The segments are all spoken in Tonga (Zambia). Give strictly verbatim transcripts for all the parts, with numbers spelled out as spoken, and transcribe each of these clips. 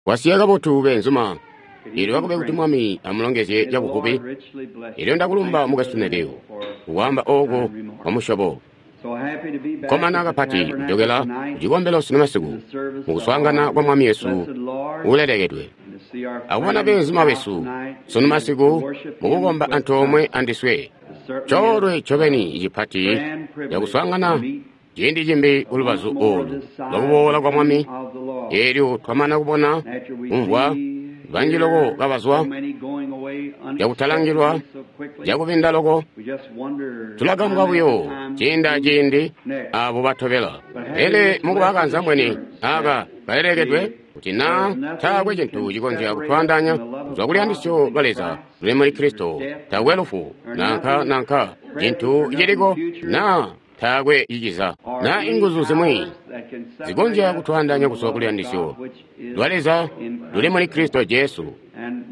Kwasiya kabotu beenzuma. Elyo akube kuti Mwami amulongezye cabuvubi. Elyo ndakulumba mukwesu Neville kukwaamba ooko kwa musyobo. Kkomana kapati kujokela kucikombelo sunu masiku mukuswaangana kwa Mwami Yesu uulelekedwe. Akubona beenzuma besu sunu masiku mukukomba antoomwe andiswe. Coolwe ncobeni cipati cakuswaangana ciindi cimbi kulubazu oolu lwakuboola kwa Mwami. Eelyo twamana kubona kumvwa banji loko kabazwa cakutalangilwa cakubinda loko, tulagambwa buyo ciindi aciindi aabo batobela. Pele mukuba akanzambweni aaka kalelekedwe kuti naa taakwe cintu cikonzya kutwaandaanya kuzwa kuluyandisyo lwa Leza luli muli Kristo, taakwe lufu nanka nanka cintu ciliko naa taakwe ciciza naa inguzu zimwi zikonzya kutwaandaanya kuzwa kuluyandisyo lwa Leza luli muli Kristo Jesu.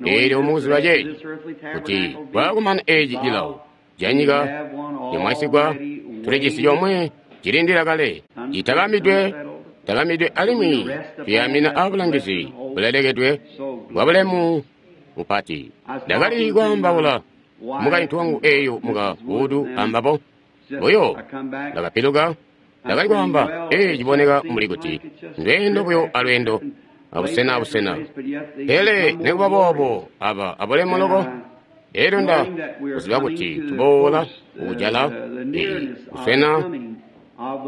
Eelyo mukuziba ceeci kuti kwaakumana eeci cilawo canyika cimwaisigwa, tulijisi comwe cilindila kale citabambidwe tabambidwe alimwi tuyaamina aabulangizi bulelekedwe bwa bulemu bupati. Ndakali kwaambaula mukaintu wangu eeyo muka Wood ambabo buyo ndakapiluka, ndakali kwaamba, ee, ciboneka mbuli kuti ndweendo buyo alweendo abusena abusena, pele nikuba boobo aba abulemu loko. Elyo nda kuziba kuti tuboola kukujala kuswena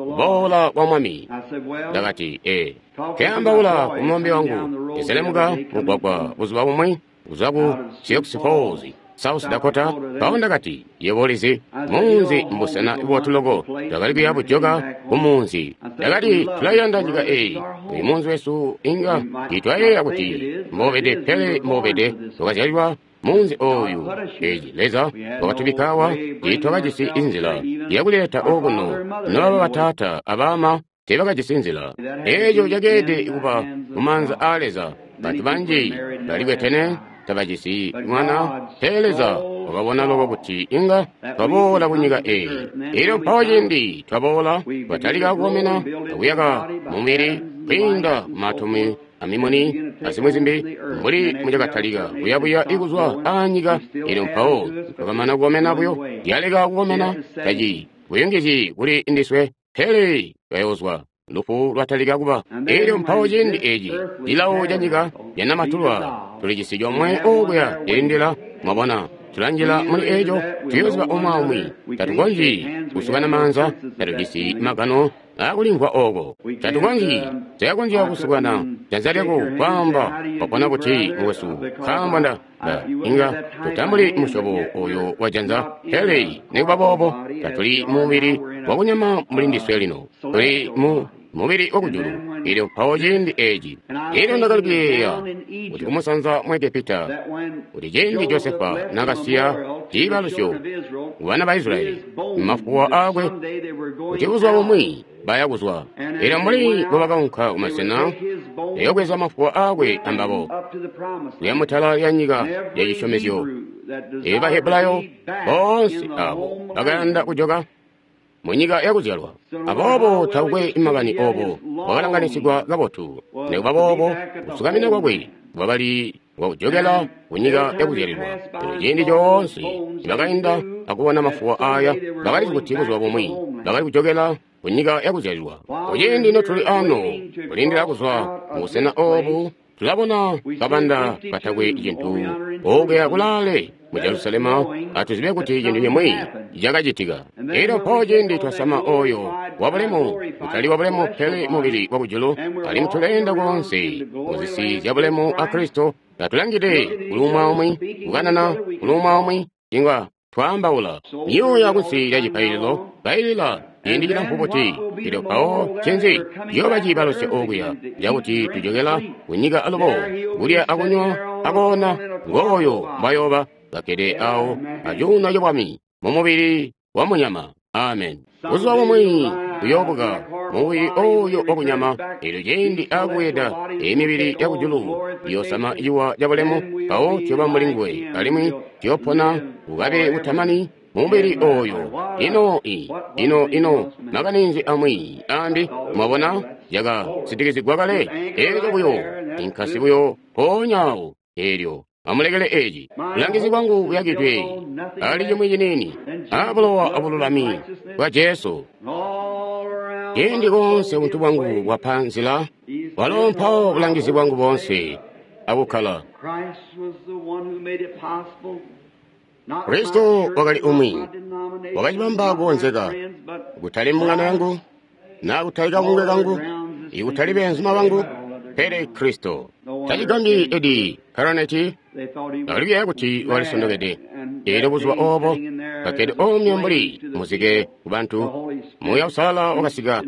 kuboola kwa Mwami. Ndakati, ee, keambaula ku mulombe wangu ezelemuka mugwagwa buzuba bumwi kuzwa ku Sioux Falls, South Dakota. Mpawo ndakati, yebo ulizi, munzi mbusena bubotu loko. Twakali kuya bujoka ku munzi. Ndakati, tulayanda nyika eyi. Uyu munzi wesu inga titwayeeya kuti mbobede, pele mbobede twakazyalilwa munzi oyu. Eci Leza wakatubikka awa, tiitwakajisi inzila yakuleta okuno. Nobaba bataata abaama teebakajisi nzila. Eeco cakeelede kuba mumaanza aa Leza. Bantu banji balikwetene tabajisi mwana, pele Leza wakabona loko kuti inga twaboola kunyika eyi. Elyo mpawo ciindi twaboola, twatalika kukomena akuyaka mumubili kwiinda kumaatomu amimuni azimwi zimbi mbuli mucakatalika kuyabuya ikuzwa aanyika. Elyo mpawo twakamana kukomena buyo, yaleka kukomena taci buyungizyi kuli ndiswe, pele twayoozwa lufu lwatalika kuba. Elyo mpawo ciindi eci cilawo canyika yanamatulwa, tulijisi comwe okuya cilindila. Mwabona, tulanjila muli eco, tuyoziba umwi aumwi. Tatukonzyi kusukana maanza, tatujisi magano akulimvwa oko. Tatukonzyi teakonzya kusukana janza lyako kwaamba wapona kuti mukwesu, nkaambo nda nda inga tutambuli musyobo oyo wa janza. Pele nikuba boobo tatuli mubili wakunyama mbuli ndiswe lino, tuli mu mubili wakujulu. Elyo mpawo ciindi eci, elyo ndakali kuyeeya kuti kumusanza mu Egepita, kuti ciindi Josefa nakasiya ciibalusyo kubana ba Israyeli mafuwa aakwe, kuti buzuba bumwi baya kuzwa. Elyo mbuli mbobakaunka kumasena, yayobweza mafuwa aakwe ambabo kuya mutala lya nyika ya cisyomezyo. Elyo Bahebulayo boonse abo bakayanda kujoka munyika yakuzyalwa. Aboobo takukwe makani obo bwakalanganisigwa kabotu. Nikuba boobo kusukamina kwakwe kwakali kwakujokela kunyika yakuzyalilwa. Pele ciindi coonse nibakainda akubona mafuwa aya, bakalizi kuti buzuba bumwi bakali kujokela kunyika yakuzyalilwa. Kuciindi notuli ano kulindila kuzwa mubusena obu, tulabona kabanda katakwe cintu okuya kulaale mu Jerusalema. Atuzibe kuti cintu cimwi cakacitika. Elyo mpawo ciindi twasama oyo wabulemu, kutali wabulemu pele mubili wakujulu, alimwi tuleenda koonse muzisi zyabulemu a Kristo, katulangide kuli umwi aumwi, kukanana kuli umwi aumwi, inga twaambaula myuuya kunsi lya cipaililo kailila ciindi cilamfu buti. Elyo mpawo ncinzi ciyooba ciibalusyo okuya cakuti tujokela kunyika alubo, kulya akunywa akoona? Ngooyo mbwayooba kakkede awo acuuno cabwami mumubili wa munyama. Amen. Buzuba bumwi uyoobuka mumubili oyo wakunyama. Elyo ciindi akubweeda emibili yakujulu iyoosama ciwa cabulemu, mpawo tuyooba mbuli nguwe, alimwi tuyoopona kukabe kutamani mubili oyo. Ino i, ino, ino, makani nzi amwi ambi, mwabona, yaka sitikizigwa kale. Elyo buyo, inkasi buyo, mpoonya awo, elyo amulekele eci. Bulangizi bwangu buyakidwe ali cimwi ciniini, a bulowa abululami bwa Jesu. Ciindi koonse buntu bwangu bwapa nzila, walo mpawo bulangizi bwangu boonse akukkala. Kristo wakali umwi wakacibamba kukonzeka, kutali mbungano yangu, na kutali kabungwe kangu, ikutali beenzuma bangu, pele Kristo. Tacigambyi Eddie Perronet bakali kuti walisondokede. Elyo buzuba obo kakkede omwe mbuli muzike kubantu, Muuya Uusalala wakasika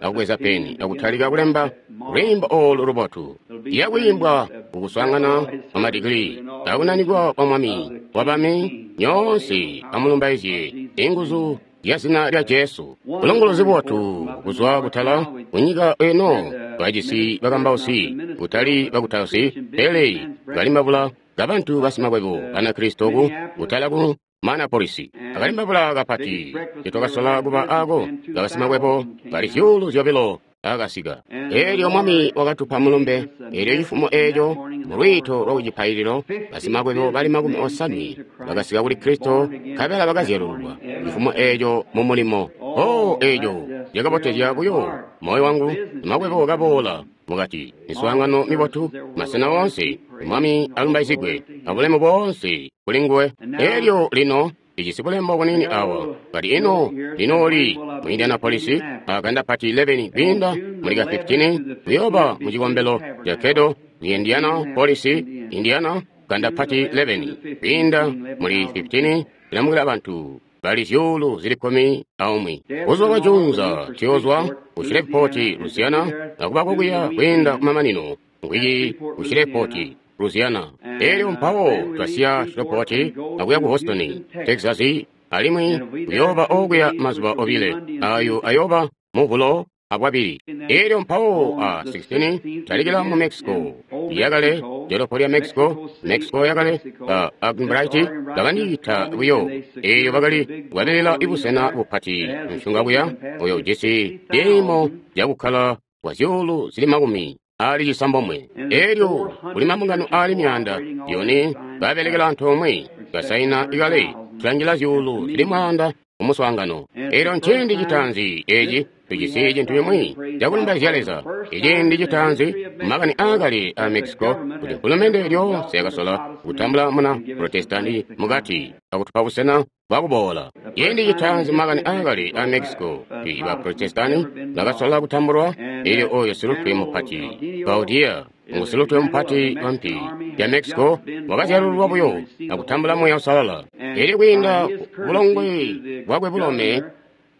akubweza peni akutalika kulemba lwiimbo olu lubotu lwakwiimbwa kukuswaangana kwamadigili akunanikwa kwa Mwami wabami. Nyoonse amulumbaizye inguzu lya zina lya Jesu. Bulongolozi bubotu kuzwa kutala kunyika eno bajisi bakambausi, kutali bakutausi, pele balimbabula kabantu basimakwebo Banakristo ku kutala ku Manapolisi. Akalimbabula kapati tetwakasola kuba ako kabasimakwebo bali zyuulu zyobilo akasika. Elyo Mwami wakatupa mulumbe. Elyo cifumo eco mulwiito lwa kucipaililo basimakwebo bali makumi osanwe bakasika kuli Kristo, nkabela bakazyalululwa cifumo eco mu mulimo. Oh, eco lyakabotezya buyo moyo wangu. Makwebo kaboola mukati, miswaangano mibotu, masena woonse. Mwami alumbaizigwe abulemu boonse kuli nguwe. Elyo lino ijisi bulembo bunini awa kati ino linoli mu Indianapolis akanda pati eleven kwiinda muli ka fifteen kuyoba mu cikombelo ca Kedo ku Indianapolis, Indiana, kanda pati eleven kwiinda muli fifteen ilamukila abantu bali zyuulu zili kkumi aumwi. Buzuba bwa juunza tuyozwa ku Shreveport, Louisiana, akuba kokuya kwiinda kumamanino nkwiki ku Shreveport, Louisiana. Elyo mpawo twasiya Shreveport akuya ku Houston, Texas, alimwi kuyooba okuya mazuba obile ayo ayoba Muvulo abwabili. Elyo mpawo a sixteen talikila mu Mexico yakale, dolopo lya Mexico, Mexico yakale, ba Albright bakandiita buyo. Eyo bakali kukwabilila ibusena bupati nshunga kuya oyo ujisi ciimo cakukkala kwa zyuulu zili makumi ali cisambomwe. Elyo kuli mabungano ali myaanda yone babelekela antoomwe basaina ikale tulangila zyuulu zili mwaanda kumuswaangano. Elyo nciindi citaanzi eci tujisi cintu cimwi cakulumbaizya Leza. Iciindi citaanzi makani aakale a Mexico kuti mfulumende lyoonse yakasola kutambula muna Protestanti mukati akutupa busena bwakuboola. Ciindi citaanzi makani aakale a Mexico kuti ba Protestanti bakasola kutambulwa. Elyo oyo silutwe mupati Gaudiya ngu silutwe mupati wa mpi ya Mexico wakazyalululwa buyo akutambula Muuya Uusalala. Elyo kwiinda bulongwe bwakwe bulome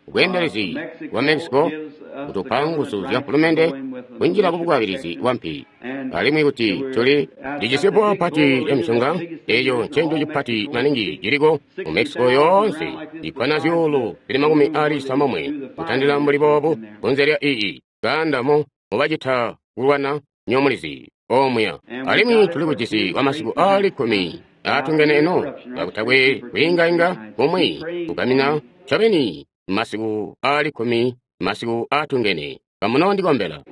bweendelezi bwa Mexico kutupa nguzu zya mfulumende kunjila kubukwabilizi bwa mpi, alimwi kuti tuli lijisi bwa pati ya misunga. Eco ncenco cipati maningi ciliko mu Mexico yoonse, ikkwana zyuulu zili makumi ali cisambomwe kutandila mbuli boobu kunze lya iyi kaanda mo mubacita kulwana nyomulizi omuya. Alimwi tuli kujisi kwa masiku ali kkumi atungene eno kakutakwe kwiingainga kumwi kukamina ncobeni masiku ali kkumi masiku atungene. Kamunoondikombela.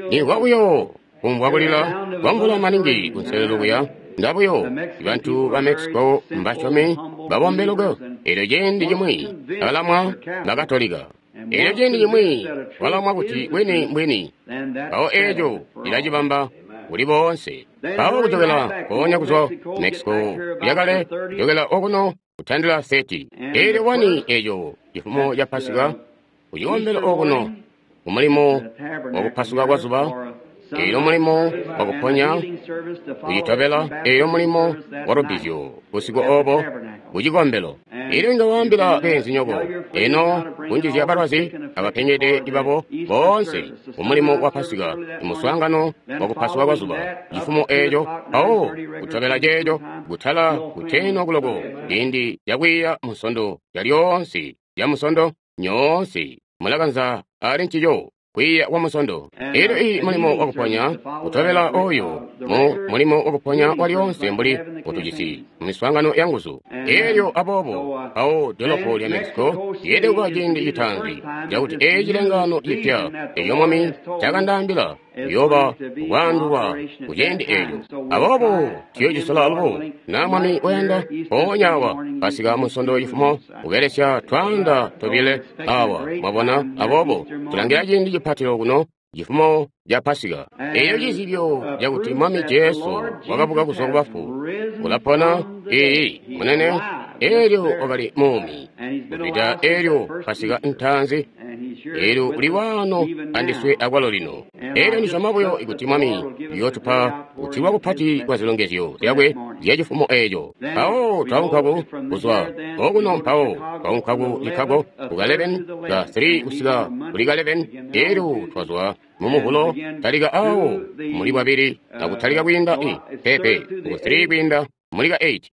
Nimvwa buyo kumvwa kulila kwa mvula maningi kunselelo kuya. Ndabuyo bantu ba Mexico mbasyomi babombeluko. Elyo ciindi cimwi balamwa Bakatolika. Elyo ciindi cimwi balamwa kuti bwini mbwini. Mpawo eco cilacibamba kuli boonse. Mpawo kujokela mpoonya kuzwa Mexico yakale kujokela okuno kutandila thirty. Elyo wani eco cifumo ca Pasika kucikombelo okuno kumulimo wakupasuka kwa zuba, elyo mulimo wakuponya kucitobela, elyo mulimo wa lubbizyo busiku obo kucikombelo. Elyo inga waambila beenzinyoko eno kunjizya balwazi abapengede babo boonse kumulimo wa Pasika, imuswaangano wakupasuka kwa zuba cifumo eco. Mpawo kutobela ceeco kutala kutenwa kuloko ciindi cakwiiya musondo calyoonse lya musondo nyoonse mulakanza ali ncico. kwiiya kwa Musondo. Elyo i mulimo wakuponya kutobela oyo mu mulimo wakuponya walyoonse mbuli utujisi mu miswaangano ya nguzu. Elyo aboobo mpawo dolopo lya Mexico yeelede kuba ciindi citaanzi cakuti eci cilengaano cipya eco Mwami cakandaambila kuyooba kwaandulwa ku ciindi eco. Aboobo tuyocisola alubo na Mwami wayanda mpoonya awa Pasika Munsondo cifumo kubelesya twaanda tobile awa, mwabona. Aboobo tulangila ciindi cipatilo kuno cifumo ca Pasika. Eyo cizibyo cakuti Mwami Jesu wakabuka kuzwa ku bafu, ulapona, iiyi munene, elyo wakali muumi kuzwida elyo Pasika ntaanzi, elyo uli waano andiswe akwalo lino. Elyo ndisyoma buyo kuti Mwami uyootupa kutilwa kupati kwa zilongezyo zyakwe zya cifumo eco. Mpawo twaunka ku kuzwa okuno, mpawo twaunka ku Chicago ku ka eleven ka three kusika kuli ka eleven, elyo twazwa mu Muvulo talika awo muli bwabili akutalika kwiinda i pepe ku three kwiinda muli ka eight.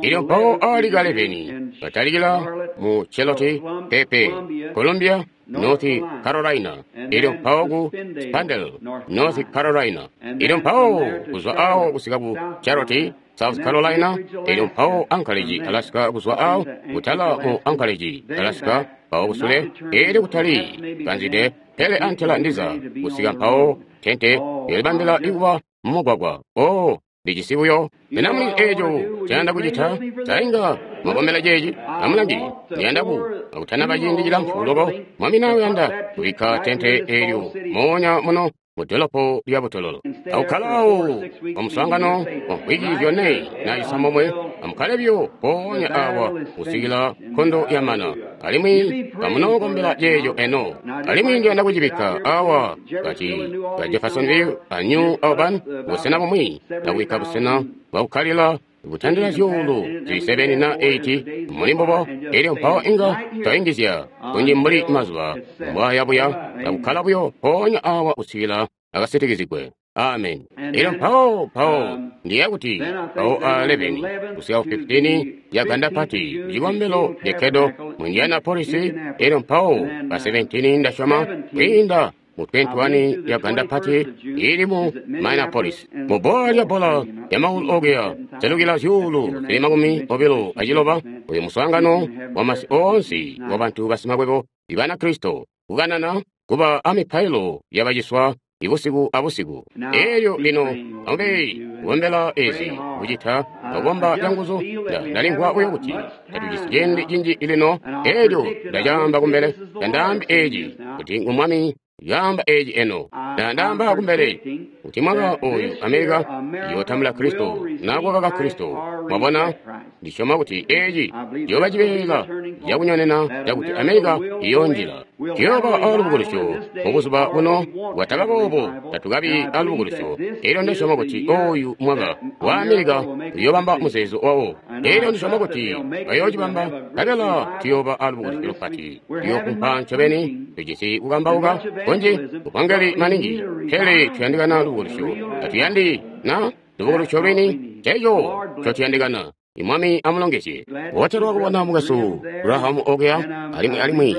Elyo mpawo ali ka eleven batalikila mu Charlotte, pepe Columbia, North Carolina. Elyo mpawo ku Spandau, North Carolina. Elyo mpawo kuzwa awo kusika ku Charlotte, South Carolina. Elyo mpawo Anchorage, Alaska, kuzwa awo kutala mu Anchorage, Alaska, mpawo kusule elyo kutali kanzide pele antela ndiza kusika mpawo tente yolibambila ikuba mumugwagwa. Oh, ndijisi buyo ena muli eco cayanda kucita sainga mwakomela ceeci amulangi ndiyanda ku akutanaba ciindi cilamfu loko. Mwami nawe yanda kubikka tente elyo moonya muno mu dolopo lya butololo akukkala awo omuswaangano wa mvwiki zyone na cisambomwe. Amukkale buyo mpoonya awa kusikila nkondo yamana, alimwi amunookombela ceeco eno. Alimwi ndiyanda kucibikka awa kati ka Jeffersonville a New Albany busena bumwi, akubikka busena bwakukkalila kutandila zyuulu zili seven na eight muli mbubo. Elyo mpawo inga twaingizya kunji mbuli mazuba mbwaya buya, akukkala buyo mpoonya awa kusikila akasitikizigwe. Amen. Elyo mpawo mpawo ndiya kuti mpawo a eleven kusika ku fifteen ya Ganda Pati cikombelo lyekedo mu Indianapolis. Elyo mpawo pa seventeen ndasyoma kwiinda mu twenty-one ya Ganda Pati ili mu Minneapolis mu bbola lya bbola ya maulu okuya selukila zyuulu zili makumi obilo aciloba. Uyu muswaangano wa masi oonse wa bantu basimakwebo Ibanakristo kukanana kuba amipailo yabaciswa ibusiku abusiku. Elyo lino amube kukombela ezi kucita akukomba canguzu. Ndalimvwa buyo kuti tatujisi ciindi cinji lino. Elyo ndacaamba kumbele, tandaambi eci kuti ngu Mwami yaamba eci eno. Ndandaamba kumbele kuti mwaka oyu Amerika iyootambula Kristo nakwakaka Kristo. Mwabona, ndisyoma kuti eci ciyooba cibeela cakunyonena cakuti Amerika iyoonjila. Ciyooba alubukulusyo mubuzuba buno, bwataba boobo tatukabi alubukulusyo. Elyo ndisyoma kuti oyu mwaka wa Amerika uyoobamba muzeezo wawo. Elyo ndisyoma kuti bayoocibamba, nkabela tuyooba alubukulusyo lupati. Tuyoofumpa ncobeni, tujisi kukambauka kunji kupangeli maningi, pele tuyandikana lubukulusyo. Tatuyandi na lubukulusyo lwini, ceeco ncotuyandikana. Imwami amulongezye. Wotelwa kubona mukwesu Graham okuya, alimwi alimwi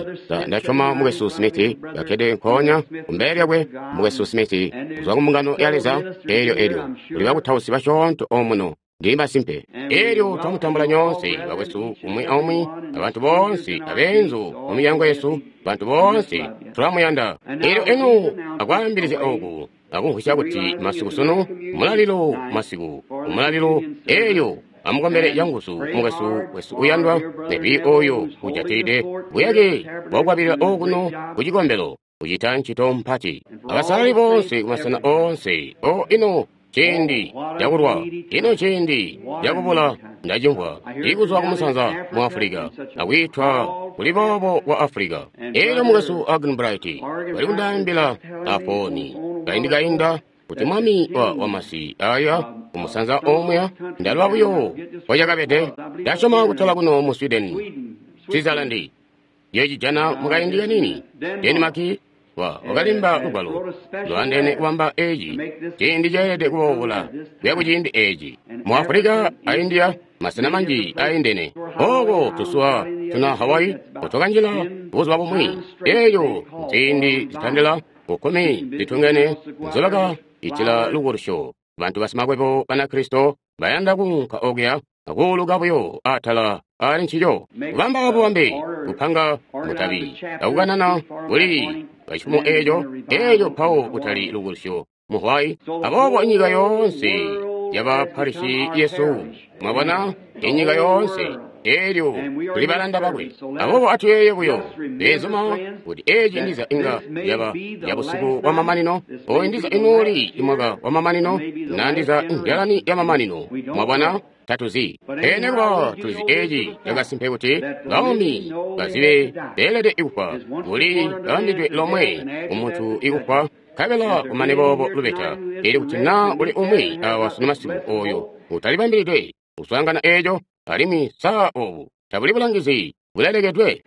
ndasyoma mukwesu Smith kakkede nkoonya kumbele lyakwe, mukwesu Smith kuzwa ku mbungano ya Leza. Elyo elyo kuli bakutausi basyoonto omuno, ndili masimpe. Elyo twamutambula nyoonse bakwesu umwi aumwi, abantu boonse abeenzu mu milyango yesu, bantu boonse tulamuyanda. Elyo eno akwaambilizya oku akumvwisya kuti masiku sunu mulalilo, masiku umulalilo. Elyo amukombele canguzu mukwesu wesu uyandwa nebi oyo ujatilide buyake bwakukwabilila okuno ku cikombelo, kucita ncito mpati. Abasalali bonse kumasena oonse. O ino ciindi cakulwa, ino ciindi cakubula. Ndacimvwa ikuzwa kumusanza mu Afulika akwiitwa kuli boobo kwa Afulika. Elyo mukwesu Arganbright bali kundaambila afoni kaindi kainda kuti mwami wa wamasi aya kumusanza omweya ndalwa buyo kwacakabede. Ndasyoma kutala kuno mu Sweden, Switzerland yecijana mukaindi kanini, Denmark Wa wakalemba lugwalo lwaandeene kubamba eci ciindi ceelede kuboola kuya kuciindi eci. Mu Afulika a India, masena manji aindene. Oko tusuwa tuna Hawaii kutwakanjila buzuba bumwi. Eyo nziindi zitandila kukkumi zitungene nzobaka itila lukulusyo. Bantu basimakwebo Banakristo bayanda kuunka okuya akuuluka buyo atala ali ncico. Kubamba bubambe, kupanga mutabi, akukanana kuli kacifumo eco, eco mpawo kutali lukulusyo mu Hawaii. Aboobo inyika yoonse yaba Parisi yesu, mwabona, inyika yoonse, elyo tuli balanda bakwe. Aboobo atuyeeye buyo beezuma kuti eci ndiza inga yaba ya busiku bwa mamanino, oyu ndiza inuuli imwaka wa mamanino, na ndiza nzyalani ya mamanino. Mwabona, tatuzi. Pele kuba tulizi eci cakasimpe kuti baumi bazibe beelede ikufa, kuli babambidwe lomwe umuntu ikufa, nkabela kumane boobo lubeta. Eli kuti naa uli umwi awa sunu masiku oyo utalibambilidwe kuswaangana eco, alimwi saa obu tabuli bulangizi bulelekedwe.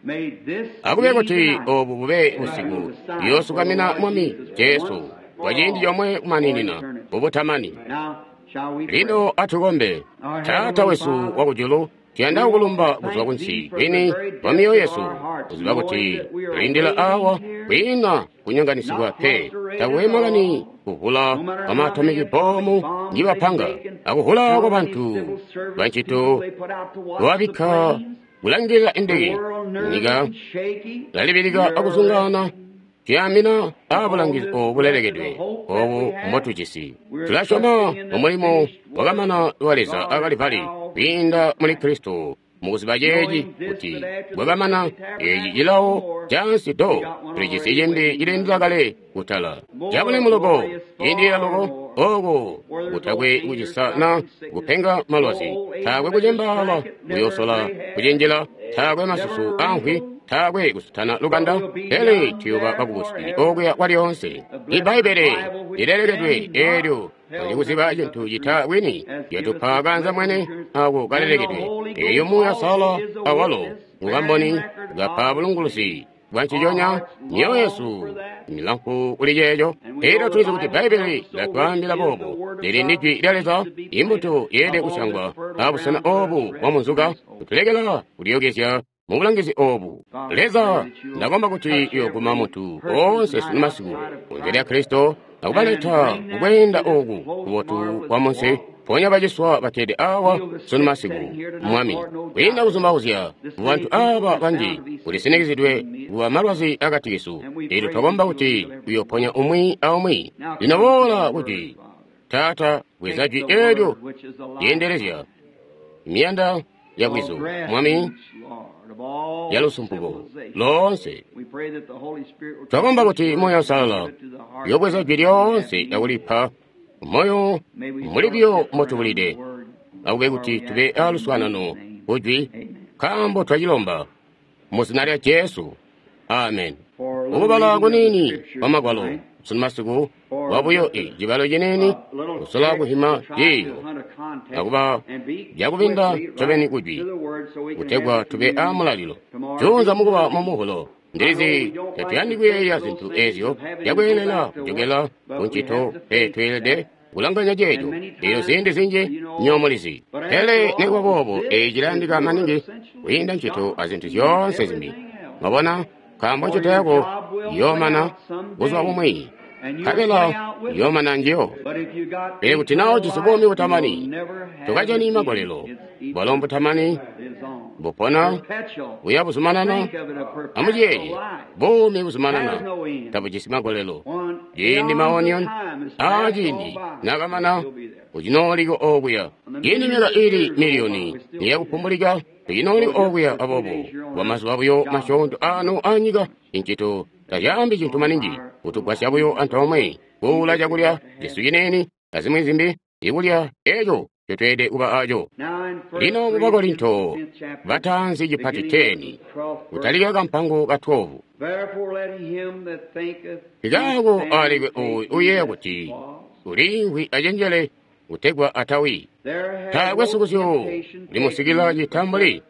Akube kuti obu bube busiku yoosukamina Mwami Jesu kwa ciindi comwe kumaninina bubutamani. Lino atukombe. Taata wesu wakujulu, tuyanda kukulumba kuzwa kunsi kwini kwa mioyo yesu, kuziba kuti tulindila awa kwiina kunyonganisigwa pe. Takwe makani kuvula kwa maatomiki bomu ngibapanga, akuvula kwa bantu bancito lwabikka kulangilila indeke. Nyika lalibilika akuzungana, tuyamina abulangizi obu bulelekedwe obu mbotujisi. Tulasyoma mumulimo wakamana wa Leza akalivali kwiinda muli Kristo, mukuziba ceeci kuti bwakamana eci cilawo cansi do tulijisi cimbi cilindila kale kutala cabulemu loko, ciindilila loko oko kutakwe kucisa na kupenga malwazi, taakwe kucembaala kuyosola kucenjela, taakwe masusu amvwi, taakwe kusutana lukanda, pele tuyoba bakubusi okuya kwalyoonse. Ibbaibbele lilelekedwe eelyo alikuziba cintu cita bwini, lyatupa kanza mwene ako kalelekedwe. Eyo Muuya Sala awalo ngukamboni kapa bulunguluzi bwa nciconya myoyo yesu milamfu kuli ceeco. Elyo tulizi kuti Bbaibbele lyatwaambila boobo, lili ndi Jwi lya Leza, imbuto yeelede kusyangwa abusena obu bwa munzuka, kutulekela kulyokezya mu bulangizi obu. Leza, ndakomba kuti uyoguma muntu oonse sunu masiku kunze lya Kristo, akubaleta kukweenda oku kubotu kwa munsi. Ponya baciswa bakkede awa sunu masiku, Mwami. Kwiinda kuzumbauzya bantu aba banji kulisinikizidwe kuba malwazi akati kesu. Elyo twakomba kuti uyoponya umwi aumwi. Lino boola kuti Taata, bweza jwi eelyo lyeendelezya miyanda ya bwizu, Mwami, ya lusumpuko loonse. Twakomba kuti Muuya Uusalala uyobweza jwi lyoonse akulipa moyo muli buyo mbotubulide, akube kuti tube aluswaanano kujwi, nkaambo twacilomba mu zina lya Jesu. Amen. Ukubala kuniini kwa magwalo sunu masiku wabuyo e cibalo ciniini kusola kuhima ciiyo akuba byakubinda ncobeni kujwi, kutegwa tube aamulalilo juunza mukuba mumuhulo. Ndilizi tatuyandi kuyeeya zintu ezyo zyakweelela kujokela kuncito, pe tweelede kulanganya ceeco. Elyo ziindi zinji nyomulizi, pele nikuba boobo eeci cilayandika maningi kwiinda ncito azintu zyoonse zimbi. Mwabona, nkaambo ncito yako yoomana buzuba bumwi, nkabela yoomana njiyo. Pele kuti naa ujisi buumi butamani, tokajani magolelo. Bwalo mbutamani bupona buya buzumanana. Amuciyeeye, buumi buzumanana tabujisi magolelo. Ciindi maonion aaciindi nakamana, ucinooliko okuya. Ciindi myaka ili miliyoni niyakupumbulika, tucinooliko okuya. Aboobo kwamazuba buyo masyoonto aano anyika, incito tazyaambi cintu maningi, kutugwasya buyo antoomwe kuula cakulya cesu ciniini azimwi zimbi, ikulya eco ncotweelede kuba aco. Lino mu Bakorinto bataanzi cipati teni, kutalika kampango ka twelve. Nkikaako alekwe oyu uyeeya kuti uliimvwi acenjele kutegwa atawi. Taakwe sukusyo limusikila citambuli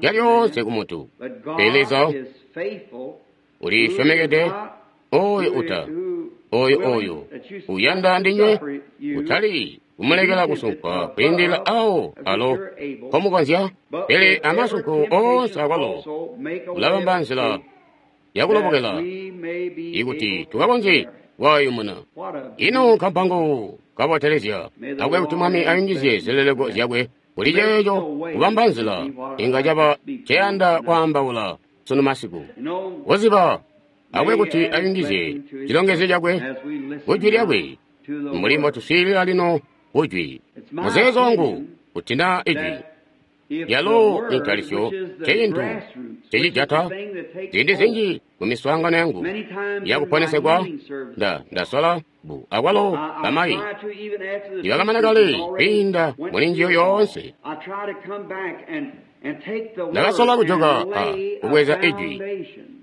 calyoonse ku muntu, pele Leza ulisyomekede, Oyo uta, oyo oyo uyanda ndinywe, kutali kumulekela kusunkwa kwiindilila awo alo mpomukonzya, pele amasunko oonse akwalo ulabamba nzila yakulobokela ikuti tukakonzye kwayumuna. Ino nkampango kabotelezya akwe kuti Mwami ayungizye zileleko zyakwe kuli ceeco kubamba nzila inga caba ceyanda kwaambaula sunu masiku. Kuziba akwe kuti ayungizye cilongezyo cakwe kujwi lyakwe mbuli mbotuswiilila lino kujwi. Muzeezo wangu kuti naa ijwi lyalo intalisyo ncecintu cecijata ziindi zinji mumiswaangano yangu yakuponesegwa nda ndasola bu akwalo bamayi nibakamana kale kwiinda muli njiyo yoonse. Ndakasola kujoka a kubweza ijwi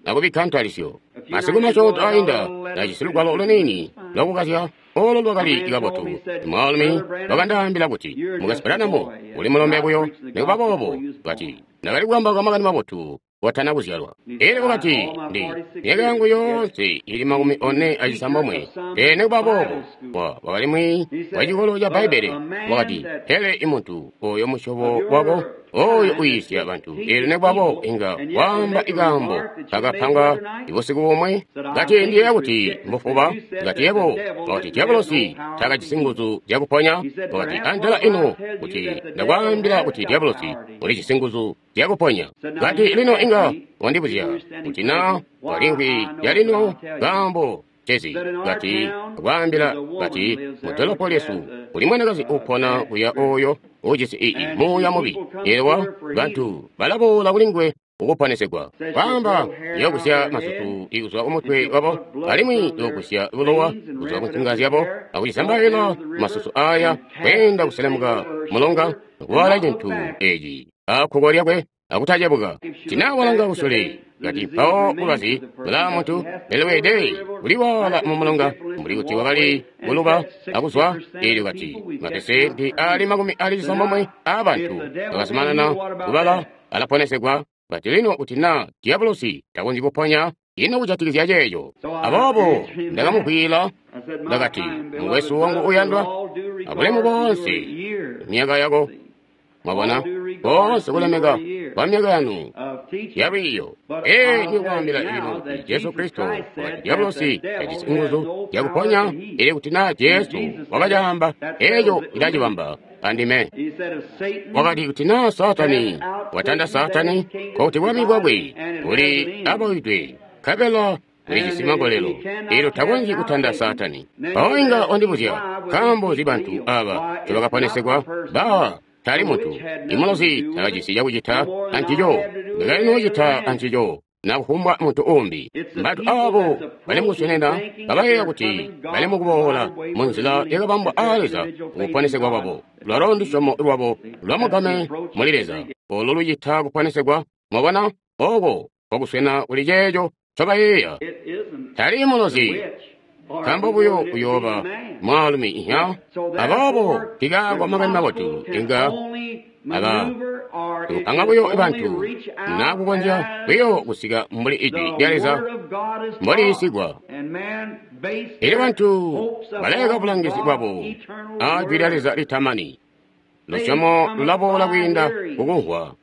akubikka ntalisyo. Masiku masyoonto ainda ndajisi lugwalo luniini lwakukazya olo lwakali kabotu. Mwaalumi wakandaambila kuti, Mukwesu Branham, uli mulombe buyo. Nikuba boobo, kati ndakali kukambauka makani mabotu kotana kuzyalwa. Elyo wakati, ndi myaka yangu yoonse ili makumi one acisambomwe. Pele nikuba boobo, wa wakali mwiiyi wa cikolo ca Bbaibbele. Wakati, pele imuntu oyo musyobo wako oyo uyiisya bantu, elyo nikuba boobo inga waamba ikaambo kakapanga ibusiku bumwe. Kati ndiyeeya kuti mbufuba. Kati yebo, wakati diabolosi takajisi nguzu zyakuponya. Wakati antela ino kuti ndakwaambila kuti diabolosi ulijisi nguzu zyakuponya. Kati lino inga wandibuzya kuti na walimvwi yalino kaambo cezi. Kati kwaambila kati mudolopo lyesu kuli mwanakazi upona kuya oyo ujisi ii muuya mubi. Ewa bantu balaboola kuli nguwe ukuponesegwa. Kwaamba yokusya masusu ikuzwa kumutwe wabo, alimwi yokusya bulowa kuzwa kunsinga zyabo, akucisambaila masusu aya kweenda kuselemuka mulonga kuwala cintu eci akkuko lyakwe akutacebuka. Tinawalanga kusule kati mpawo bulwazi bulaa muntu pele weede kuliwaala mumulonga mbuli kuti wakali kuluba akuzwa. Eelyo kati mapesenti ali makumi ali cisambomwe aabantu bakazumanana kubala alaponesegwa. Kati lino kuti na diabolosi takonzyi kuponya, ino kujatikizya ceeco? Aboobo ndakamuvwiila ndakati, mukwesu wangu uyandwa, abulemu boonse myaka yako, mwabona, boonse kulemeka kwa myaka yanu yalwiiyo. Ee, ndikwaambila lino kuti Jesu Kristo wakati diabolosi tajisi nguzu zyakuponya, ili kuti na Jesu wakacaamba eeco ilacibamba andime. Wakati kuti na Saatani watanda Saatani, nkokuti bwami bwakwe buli aboyidwe, nkabela ulijisi magolelo, elyo takonzyi kutanda Saatani. Mpawo inga wandibuzya, nkaambo nzi bantu aba ncobakaponesegwa? Baa, tali muntu imulozi takajisi cakucita ancico, ndakali noocita ancico na kufumbwa muntu umbi. Bantu abo bali mukuswenena kabayeeya kuti bali mukuboola munzila yakabambwa aa Leza kukuponesegwa kwabo. Lwalo ndusyomo lwabo lwamugame muli Leza olo lucita kuponesegwa. Mwabona, oko kwakuswena kuli ceeco ncobayeeya. Tali mulozi, nkaambo buyo uyooba mwaalumi inya. Aboobo tikaakwa makani mabotu inga aba ikupanga buyo bantu na kukonzya buyo kusika mbuli ijwi lya Leza mboliyisigwa. Elyo bantu baleka bulangizi bwabo a jwi lya Leza litamani. Lusyomo lulaboola kwiinda kukumvwa,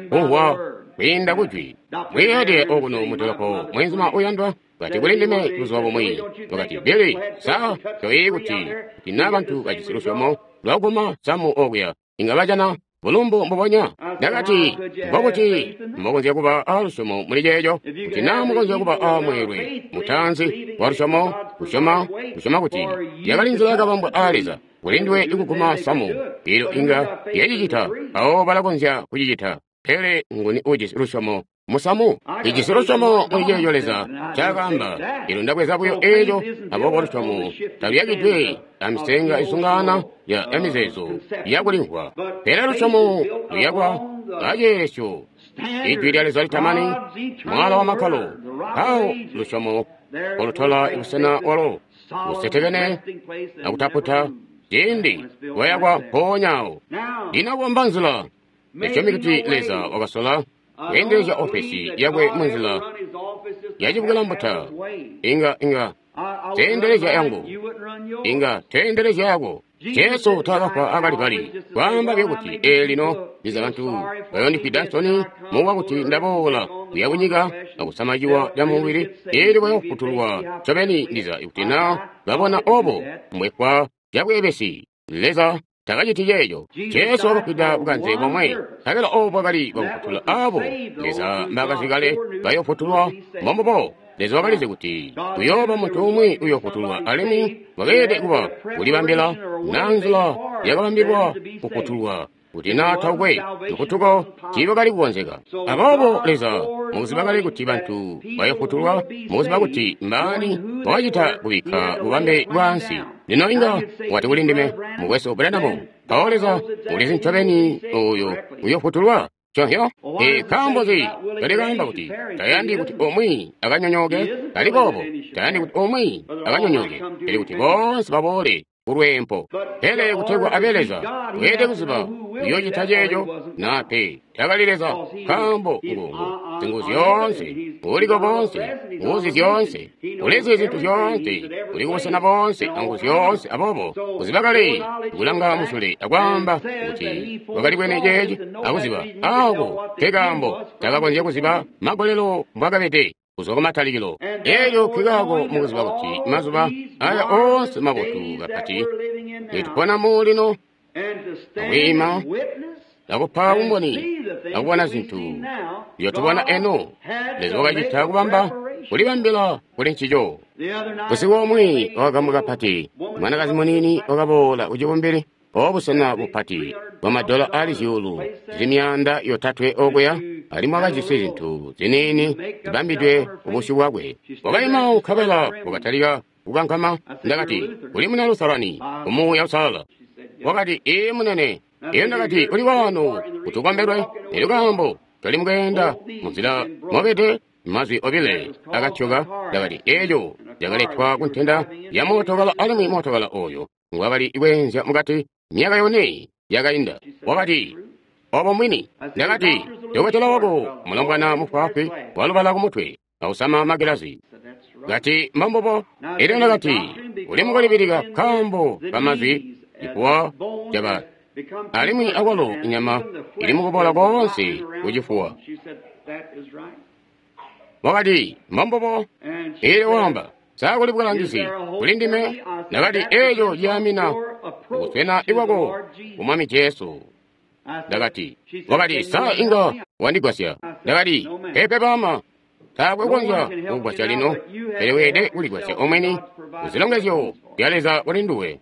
kumvwa kwiinda kujwi. Mwiiyede okuno mudolopo mwenzuma uyandwa kati kuli ndime buzuba bumwi, wakati, Billy, sa toyeeyi kuti kuti na bantu bajisi lusyomo lwakuguma samu okuya inga bajana bulumbu mbubonya? Ndakati, mbokuti mbokonzya kuba a lusyomo muli ceeco, kuti na mukonzya kuba a mweelwe mutaanzi wa lusyomo, kusyoma, kusyoma kuti yakali nzila yakabambwa aa Leza kuli nduwe ikuguma samu, elyo inga yacicita, mpawo balakonzya kucicita. Pele nguni ujisi lusyomo musamu? Ijisi lusyomo muli ceeco Leza ncaakaamba. Elyo ndabweza buyo eeco. Aboobo lusyomo taluyakidwe amisenga isungana ya mizeezo yakulimvwa, pele lusyomo luyakwa aceelesyo ijwi lya Leza litamani, mwala wa makkalo. Mpawo lusyomo olutola ibusena walo busetekene akutaputa ciindi lwayakwa mpoonyaawo. Lino kubamba nzila, ndisyomi kuti Leza wakasola kweendelezya ofesi yakwe munzila yacibukilambuta inga inga teendelezya yangu inga teendelezya yako. Jesu taakafwa akalibali kwaamba buyo kuti ee lino ndiza bantu bayondifwida nsoni mukuba kuti ndaboola kuya kunyika akusama ciwa ca mubili eelyo bayofutulwa ncobeni ndiza kuti na babona obo mbwefwa cabweebesi. Leza takaciti ceeco. Jesu wakafwida bukanze bomwe, nkabela obo bwakali bwakufutula abo Leza mbaakazi kale bayofutulwa. Mbombubo Leza wakalizi kuti kuyooba muntu umwi uyoofutulwa, alimwi wakeelede kuba kulibambila na nzila yakabambilwa kufutulwa kuti na taukwe lufutuko tiibakali kukonzeka. Aboobo Leza mukuziba kale kuti bantu bayofutulwa, mukuziba kuti mbaani, wakacita kubikka bubambe bwaansi. Lino inga wati kuli ndime, Mukwesu Branham, mpawo Leza ulizi ncobeni oyo uyofutulwa. Conhyo? E nkaambo nzi kali kaamba kuti tayandi kuti umwi akanyonyooke? Kali boobo, tayandi kuti umwi akanyonyooke, pele kuti boonse baboole kulweempo. Pele kutegwa abe Leza, weelede kuziba uyoocita ceeco naa pe. Takali Leza, nkaambo ngu zingu zyoonse, uliko boonse, nguzi zyoonse, ulizi zintu zyoonse, uli kubusena boonse angu zyoonse. Aboobo kuziba kale kulanga musule akwaamba kuti wakali bwene ceeci akuziba ako kekaambo takakonzya kuziba magolelo mbwakabede kuzwa kumatalikilo. Elyo nkikaako mukuziba kuti mazuba aya oonse mabotu kapati nitupona mu lino, akwiima akupa bumboni akubona zintu nzyotubona eno, Leza wakacita kubamba kulibambila kuli ncico. Busiku omwe wakagambwa kapati, mwanakazi muniini wakaboola kucibumbili obusena bupati bwamadola ali zyuulu zili myaanda yotatwe okuya, alimwi wakajisi zintu ziniini zibambidwe kubusyu bwakwe. Wakaima nkabela wakatalika kukankama. Ndakati, uli muna Lutherani kumuuya usalala. Wakati, ee munene. Iyo ndakati, uli waano kuti ukombelwe. Elyo kaambo toli mukweenda munzila mobede. Mazwi obile akatyoka. Ndakati, eeco yakaletwa kuntenda ya mootokala, alimwi mootokala oyo ngwakali kweenzya mukati myaka yone yakainda. Wakati, obo mwini. Ndakati, dokotela wako mulombwana mufwaafwi walubala kumutwe ausama magilazi. Kati, mbombubo. Elyo ndakati, uli mukulibilika nkaambo kamazwi cifuwa caba, alimwi akwalo inyama ili mukubola koonse kucifuwa. Wakati, mbombubo. Elyo wamba, sa kuli bulangizi kuli ndime? Ndakati, eeco ciyaamina kuswena ikwako ku Mwami Jesu. Ndakati, wakati, sa inga wandigwasya? Ndakati, pepe bama, taakwe kukonzya kukugwasya lino, pele weelede kuligwasya omweni kuzilongezyo zya Leza kuli nduwe.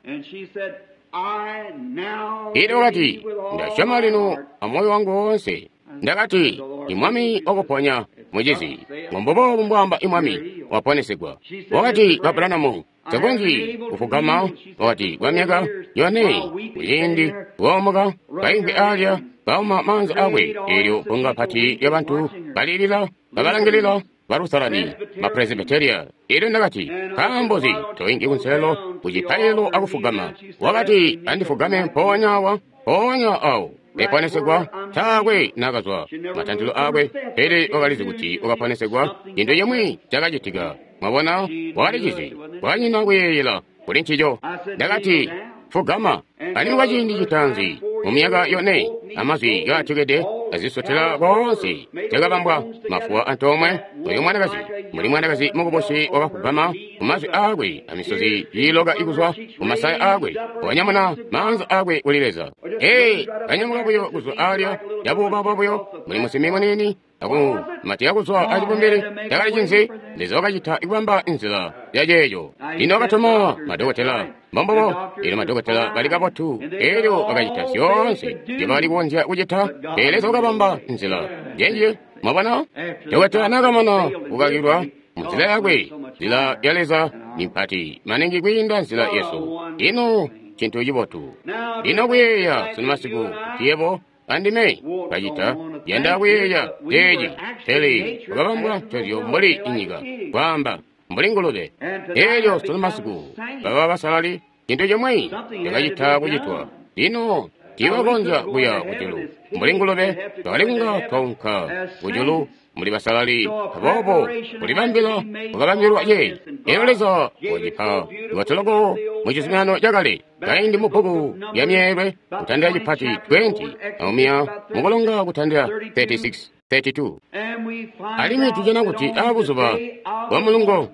Elyo wakati, ndasyoma lino amoyo wangu woonse. Ndakati, imwami wakuponya mucizi, mbombubo mbwaamba imwami, waponesegwa. Wakati, ba Branham, takonzyi kufugama. Wakati, kwa myaka yone kuciindi kuomoka kaimvwi alya kauma maanza akwe. Elyo bbunga pati lyabantu balilila babalangilila ba Lutherani, ba Presbyteria. Elyo ndakati, nkaambo nzi toinki kunselelo kucipaililo akufugama? Wakati, andifugame mpoonya awa, mpoonya awo. Eponesegwa taakwe nakazwa matantilo akwe, pele wakalizi kuti wakaponesegwa. Cintu cimwi cakacitika. Mwabona, wakalicizi, kwanyina kuyeeyela kuli ncico. Ndakati, fugama. Alimwi kwa ciindi citaanzi mu myaka yone, amazwi kaatyokede azisotela koonse cakabambwa mafuwa antoomwe. Oyo mwanakazi muli mwanakazi mukubusi wakafugama kumazwi aakwe, amisozi iiloka ikuzwa kumasaya aakwe, wanyamuna maanza aakwe kuli Leza. Ee, kanyamuka buyo kuzwa alya yabuubauba buyo muli musimi muniini akumatira kuzwa acibumbili. Cakali cinzi? Leza wakacita kubamba nzila ya ceeco. Lino wakatuma madokotela, mbombubo. Elyo madokotela bali kabotu, elyo bakacita zyoonse nzyobakali kukonzya kucita, pele Leza wakabamba nzila njenjiyo. Mwabona, dokotela nakamana kukakilwa munzila yakwe, nzila ya Leza ni mpati maningi kwiinda nzila yesu. Ino cintu cibotu lino kuyeeya sunu masiku kuti yebo andime kacita yanda kuyeeya ceeci, pele wakabambwa ncozyo mbuli inyika, kwaamba mbuli ngulube. Elyo sunu masiku baba basalali, cintu cimwi cakacita kucitwa. Lino Tiibakonzya kuya kujulu mbuli ngulube, twakali kunga twaunka kujulu mbuli basalali. Aboobo kulibambila kwakabambilwa ceeci. Elyo Leza wacipa lwatoloko mu Cizuminano Cakale, kaindi mu bbuku lya Myeelwe kutandila cipati twenty amumiya mukulonga kutandila thirty-six thirty-two. Alimwi tujana kuti aabuzuba bwa mulungo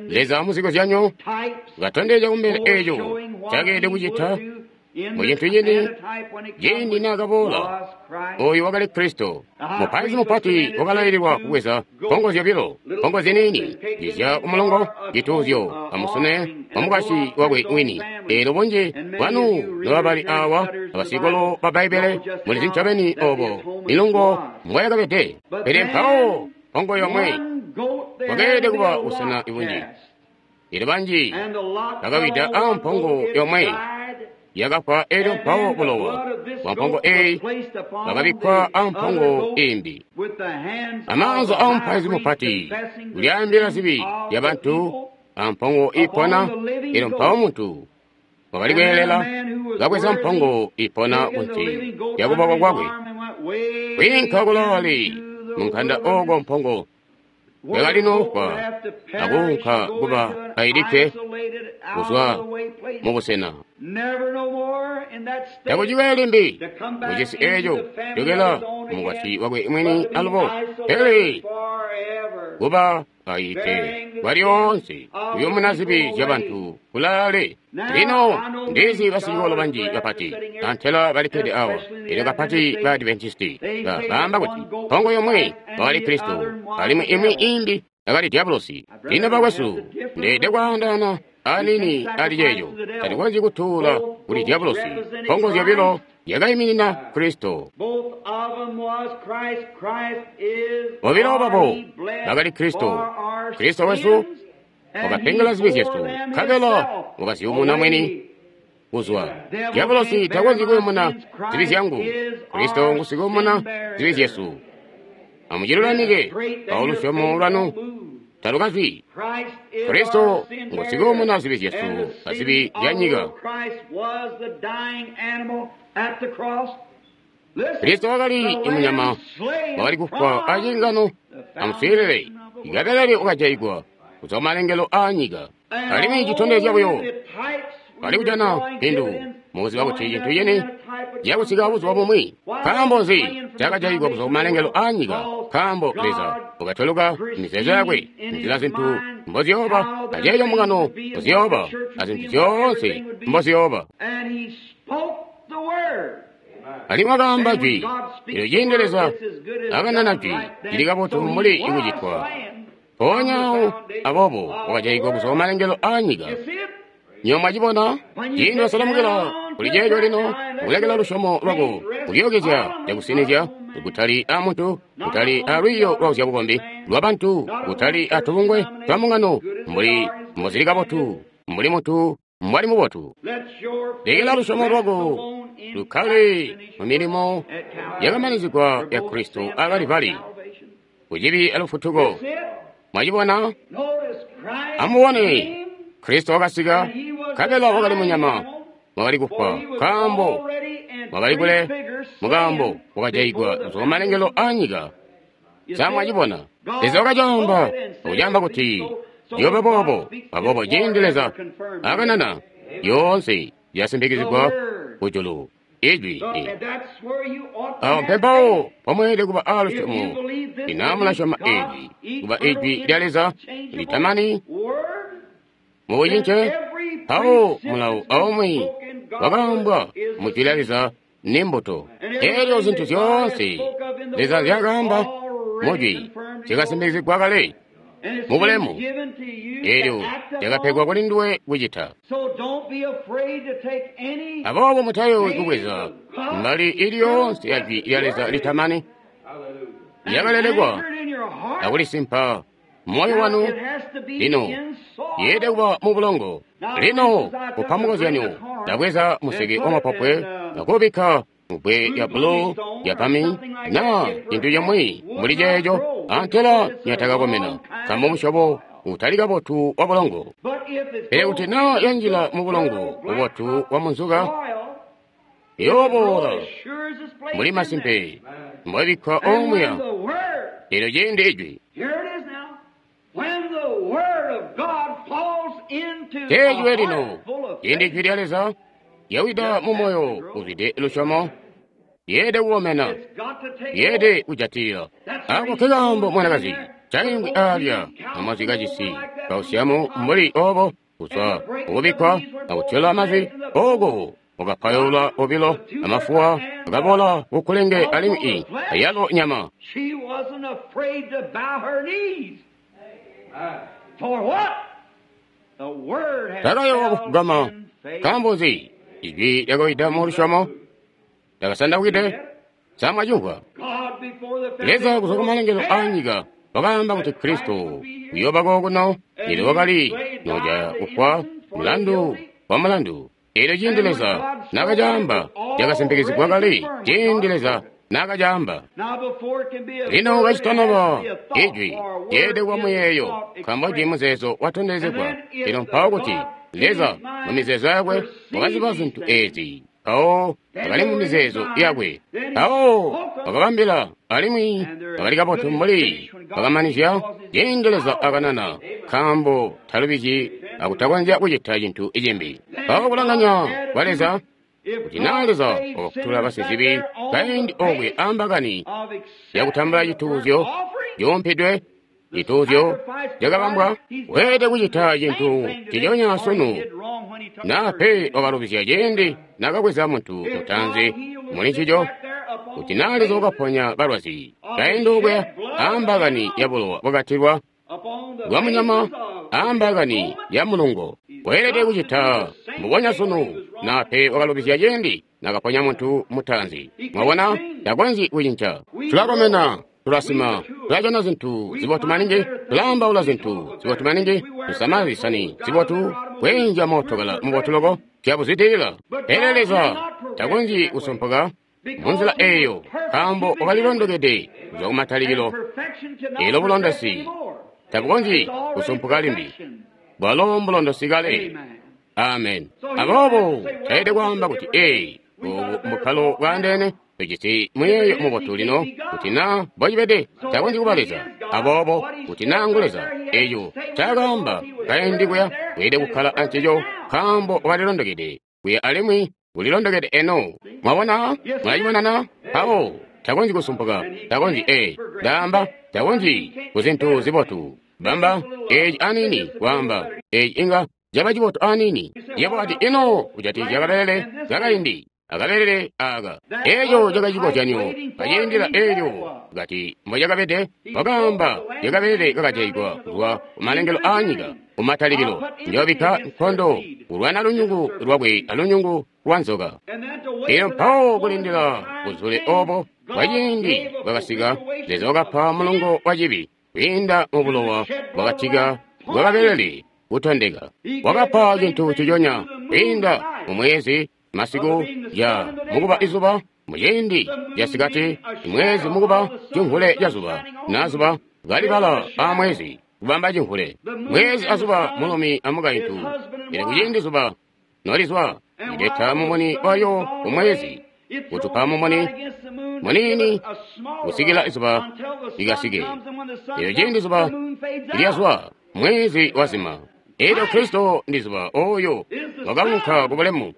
Leza muzikozyanyo katondezya kumbele eeco ncakeelede kucita mu cintu cini ciindi naakaboola. Oyu wakali Kristo. Mupaizi mupati wakalaililwa kubweza mpongo zyobilo, mpongo ziniini zizya kumulongo, cituuzyo amusune wa mukwasyi wakwe wini. Eelyo bunji bwanu nobabali awa abasikolo ba Bbaibbele mulizi ncobeni obo milungo mbwayakabede. Pele mpawo mpongo yomwe kwakeelede kuba busena bunji. Eelyo banji bakawida a mpongo yomwe yakafwa. Elyo mpawo bulowa bwa mpongo eyi bwakabikkwa a mpongo imbi. Amaanza a mupaizi mupati kulyaambila zibi lya bantu a mpongo ipona. Elyo mpawo muntu wakali kweelela kabweza mpongo ipona kunsi lya kuboko kwakwe kwiinka kulaale munkanda oko mpongo yakali nofwa akuunka kuba ailikke kuzwa mubusena. Takucikaye limbi mucisi eeco jokela mukwasyi wakwe mwini alubo, pele kuba ailikke kwalyoonse kuyumuna zibi zya bantu kulaale. Lino ndizi basicikolo banji bapati antela balikkede awa, elyo kapati ba Adventisti baamba kuti mpongo yomwe wakali Kristo alimwi imwi imbi akali Diabolosi. Lino bakwesu, ndeede kwaandaana anini ali ceeco. Tatikonzyi kutuula kuli Diabolosi. Mpongo zyobilo yakaiminina Kristo. Bobilo babo bakali Kristo. Kristo wesu wakapengela zibi zyesu, nkabela wakaziyumuna mwini kuzwa. Diabolosi takonzyi kuyumuna zibi zyangu. Kristo ngusikuyumuna zibi zyesu. Amucilulamike awo lusyomo lwanu talukazwi. Kristo ngusikuyumuna zibi zyesu azibi zya nyika. Kristo wakali imunyama wakali kufwa aciingano. Amuswiilile, ikabelele wakajayigwa kuzwa kumalengelo aa nyika. Alimwi citondezya buyo bali kujana mpindu mukuziba kuti cintu cini cakusika buzuba bumwi. Nkaambo nzi cakajayigwa kuzwa kumalengelo aa nyika? Nkaambo Leza wakatweluka mizeezo yakwe nzila zintu mboziyooba, aceeco mbungano mboziyooba, azintu zyoonse mboziyooba. Alimwi wakaamba jwi. Elyo ciindi Leza akanana jwi, cili kabotu mbuli ikucitwa. Mpoonya aboobo wakajayigwa kuzwa kumalengelo aa nyika. Nywebo mwacibona? Ciindi wasalamukila kuli ceeco lino, kulekela lusyomo lwako kulyookezya cakusinizya, kutali a muntu, kutali a lwiiyo lwa zyabukombi lwabantu, kutali a tubungwe twa mbungano, mbuli mbozili kabotu, mbuli muntu mbwali mubotu. Lekela lusyomo lwako lukkale mu milimo yakamanizigwa ya Kristo a Kalivali kucibi alufutuko. Mwacibona? Amubone, Kristo wakasika, nkabela wakali munyama wakali kufwa, nkaambo wakali kule mukaambo wakajayigwa kuzwa kumalengelo aa nyika. Sa mwacibona? Leza wakacaamba akucaamba kuti ciyooba boobo. Aboobo ciindi Leza akanana, yoonse yasimpikizigwa kujulu. Ijwi awo mpempawo pomweelede kuba aalusyomo. Ina mulasyoma ijwi kuba ijwi lya Leza litamani mubucince, mpawo mulawo aumwi wakaambwa mu jwi lya Leza ni mbuto. Elyo zintu zyoonse Leza nzyakaamba mu jwi zyakasimpikizigwa kale mu bulemu, elyo lyakapegwa kuli nduwe kucita. Aboobo mutayoowi kubweza mbali ili yoonse ya jwi lya Leza litamani lyakalelekwa akulisimpa moyo wanu. Lino yeelede kuba mu bulongo. Lino kupa mukozyanyo, ndabweza museke wamapopwe akuubikka mubbwe lya bulu lya pami naa cintu cimwi mbuli ceeco, antela nyatakakomena nkaambo musyobo utali kabotu wa bulongo. Pele kuti naa yanjila mu bulongo bubotu bwa munzuka, Iyooboola mbuli masimpe mbwabikka omuya. Elyo ciindi ijwi teejwe lino, ciindi ijwi lya Leza lyawida mu moyo uzwide lusyomo, lyeede kukomena, lyeede kujatilila. Ako nkekaambo mwanakazi caingwi aalya amazwi kajisi kausiamu mbuli obo kuzwa kukubikkwa akutyola mazwi ooko wakapayola obilo amafuwa akabola kukulenge alimwi ayalo nyama. Takayowa kufugama. Nkaambo nzi? Ijwi lyakawida mu lusyomo lyakasandawide. Samwacimvwa? Leza kuzwa kumalengelo aanyika wakaamba kuti Kristo uyooba kokuno, elyo wakali noja kufwa mulandu wa mulandu. Elyo ciindi Leza nakacaamba cakasimpikizigwa kale, ciindi Leza nakacaamba. Lino kacitanaba ijwi lyeede kuba muyeeyo, nkaambo jwi muzeezo watondezegwa. Lino mpawo kuti Leza mu mizeezo yakwe wakaziba zintu ezi, mpawo akali mu mizeezo yakwe, mpawo wakabambila alimwi bakali kabotu mbuli bakamanizya ciindi Leza akanana, nkaambo talubizyi akutakonzya kucita cintu cimbi. Mpawo kulanganya kwa Leza kuti naa Leza wakafutula basizibi kaindi okwe ambakani yakutambula cituuzyo cuumpidwe, cituuzyo cakabambwa, weelede kucita cintu nciconya sunu. Naa pe wakalubizya ciindi naakabweza muntu mutaanzi muli ncico, kuti naa Leza wakaponya balwazi kaindi okwe ambakani ya bulowa bwakatilwa bwa munyama ambakani ya mulungo, weelede kucita mbubonya sunu. Naa pe wakalubizya ciindi naakaponya muntu mutaanzi. Mwabona, takonzyi kucinca. Tulakomena, tulasima, tulajana zintu zibotu maningi, tulaambaula zintu zibotu maningi, tusama zisani zibotu, kweenzya mootokala mubotu loko, tuyabuzwidilila. Pele Leza takonzyi kusumpuka munzila eeyo, nkaambo wakalilondokede kuzwa kumatalikilo. Elo bulondosi tabukonzyi kusumpuka limbi, bwalo mbulondosi kale. Amen. Aboobo taide kwaamba kuti ee, obu mbukkalo bwaandeene, tujisi muyeeyo mubotu lino kuti naa mbocibede takonzyi kuba Leza. Aboobo kuti naa ngu Leza, eeco ncaakaamba kaindi kuya weelede kukkala ancico, nkaambo wakalilondokede kuya alimwi ulilondokede eno. Mwabona? Mwacibonana? Mpawo takonzyi kusumpuka, takonzyi ee, ndaamba takonzyi kuzintu zibotu. Bamba eeci aniini, kwaamba eeci inga caba cibotu aniini. Yebo ati ino kujatikizya kabelele kakaindi akabelele aka, eeco cakacikozyanyo kaciindila eelyo kati mbocakabede. Wakaamba lyakabelele kakajaigwa kuzwa kumalengelo aanyika kumatalikilo, njoobikka nkondo kulwana lunyungu lwakwe alunyungu lwa nzoka. Elyo mpawo kulindila buzule obo bwaciindi bwakasika, Leza wakapa mulungo wa cibi kwiinda mu bulowa bwakatika bwakabelele kutondeka. Wakapa cintu nciconya kwiinda mu mwezi masiku ya mukuba izuba, muciindi casikati mwezi mukuba cimvule ca zuba, na zuba kalibala a mwezi kubamba cimvule, mwezi azuba mulumi amukaintu. Elyo kuciindi zuba nolizwa lileta mumuni wayo kumwezi, kutupa mumuni munini kusikila izuba likasike. Elyo ciindi zuba lyazwa, mwezi wazima. Elyo Kristo ndi zuba oyo wakaunka ku bulemu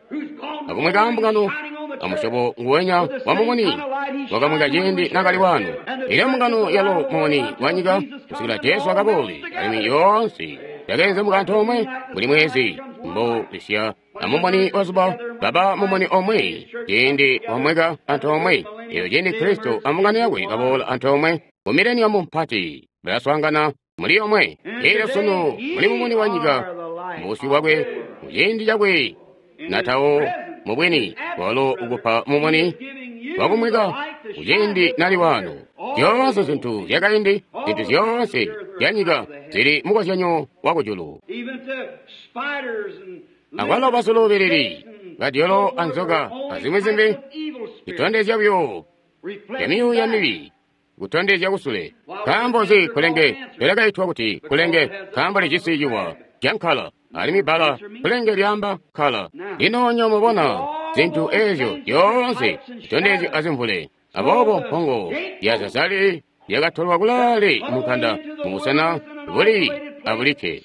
akumweka mbungano amusyobo nguwenya wa mumuni wakamweka ciindi nakali wano. Elyo mbungano yalo mumuni wa nyika kusikila Jesu akaboole, alimwi yoonse yakeenzemuka antoomwe buli mwezi mbo lisya amumuni wa zuba baba mumuni omwe ciindi wamweka antoomwe. Elyo ciindi Kristo ambungano yakwe baboola antoomwe mu mileniamu mpati balaswaangana muli omwe. Elyo sunu muli mumuni wa nyika mubusyu bwakwe muciindi cakwe natawo mubwini walo ukupa mumuni wakumweka kuciindi nali wano. Zyoonse zintu zyakaindi, zintu zyoonse zyanyika zili mukozyanyo wakujulu. Akwalo basulubilili badyolo anzoka azimwi zimbi zitondezya buyo zyamyuuya mibi kutondezya kusule. Nkaambo nzi kulenge lyakaitwa kuti kulenge? Nkaambo lijisi ciwa cankala, alimwi bbala kulenge lyaamba nkala. Lino nyo mubona zintu ezyo zyoonse zitondezyo azimvule. Aboobo mpongo ya Zazali yakatolwa kulaale munkanda mubusena buli abulikke.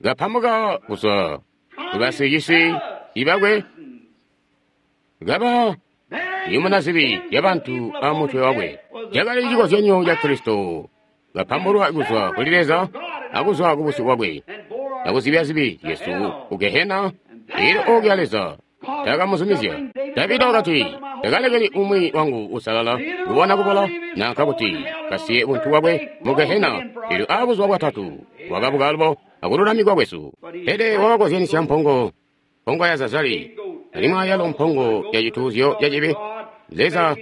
Kapamuka kuzwa kubasicisi ibakwe, kaba yumuna zibi zyabantu amutwe wakwe. Cakali cikozyanyo ca Kristo, kapambulwa kuzwa kuli Leza akuzwa kubusyu bwakwe, akuzibya zibi zyesu ku Gehena. Elyo okuya Leza takamuzumizya. Davida wakati, takalekeli umwi wangu usalala kubona kubola nanka kuti kasiye buntu bwakwe mu Gehena. Elyo abuzuba bwatatu wakabuka alubo akululamikwa kwesu. Pele wakakozyanisya mpongo, mpongo ya Zazali, alimwi ayalo mpongo ya cituuzyo ca cibi. Leza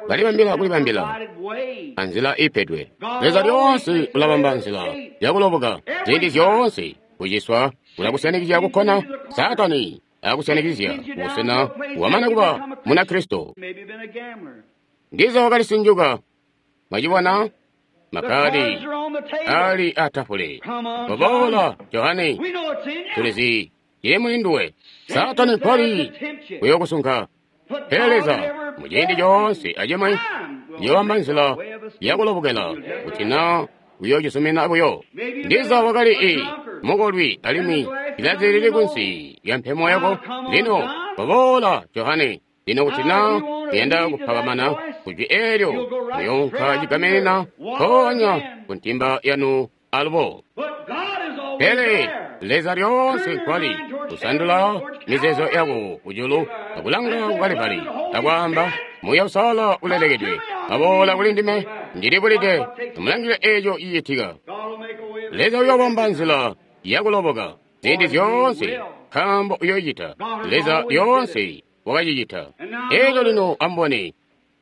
kalibambila kulibambila anzila ipedwe. Leza lyoonse ulabamba nzila yakuloboka ziindi zyoonse. Kuciswa kulakusyanikizya kukkona Saatani akusyanikizya busena wamana kuba Munakristo. Ndiza wakalisinjuka. Mwacibona makadi ali atafule. Koboola Johane, tulizi cili muli nduwe. Saatani mpali kuyokusunka. Pele Leza muciindi coonse acimwi yoobamba nzila yakulobokela kuti na uyocisumina buyo. Ndiza wakali i mukolwi alimwi ilazi lili kunsi lya mpemo yako. Lino koboola Johane. Lino kuti na kuyanda kupakamana kujwi eelyo, muyoonka cigamenena mpoonya ku ntimba yanu alubo. Pele Leza lyoonse nkwali kusandula mizeezo yako kujulu akulanga ku Kalivali akwaamba, Muuya Uusalala ulelekedwe aboola kuli ndime, ndilibulide. Amulangile eeco cicitika. Leza uyoobamba nzila yakuloboka ziindi zyoonse, nkaambo uyoocita. Leza lyoonse wakacicita eeco. Lino amubone,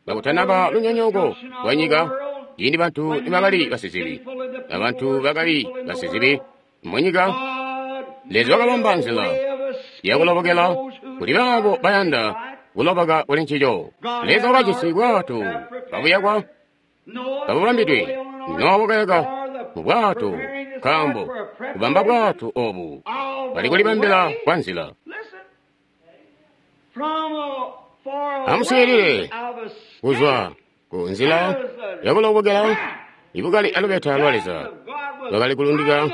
kakutanaba lunyonyooko lwa nyika, ciindi bantu nibakali basizibi, abantu bakali basizibi munyika, Leza wakabamba nzila yakulobokela kuli baabo bayanda kuloboka kuli ncico. Leza wakajisi bwato kabuyakwa kabubambidwe. Nowa wakayaka mu bwato, nkaambo kubamba bwato obu bali kulibambila kwa nzila. Amuswiilile, kuzwa ku nzila yakulobokela ibukali alubeta lwa Leza lwakali kulundika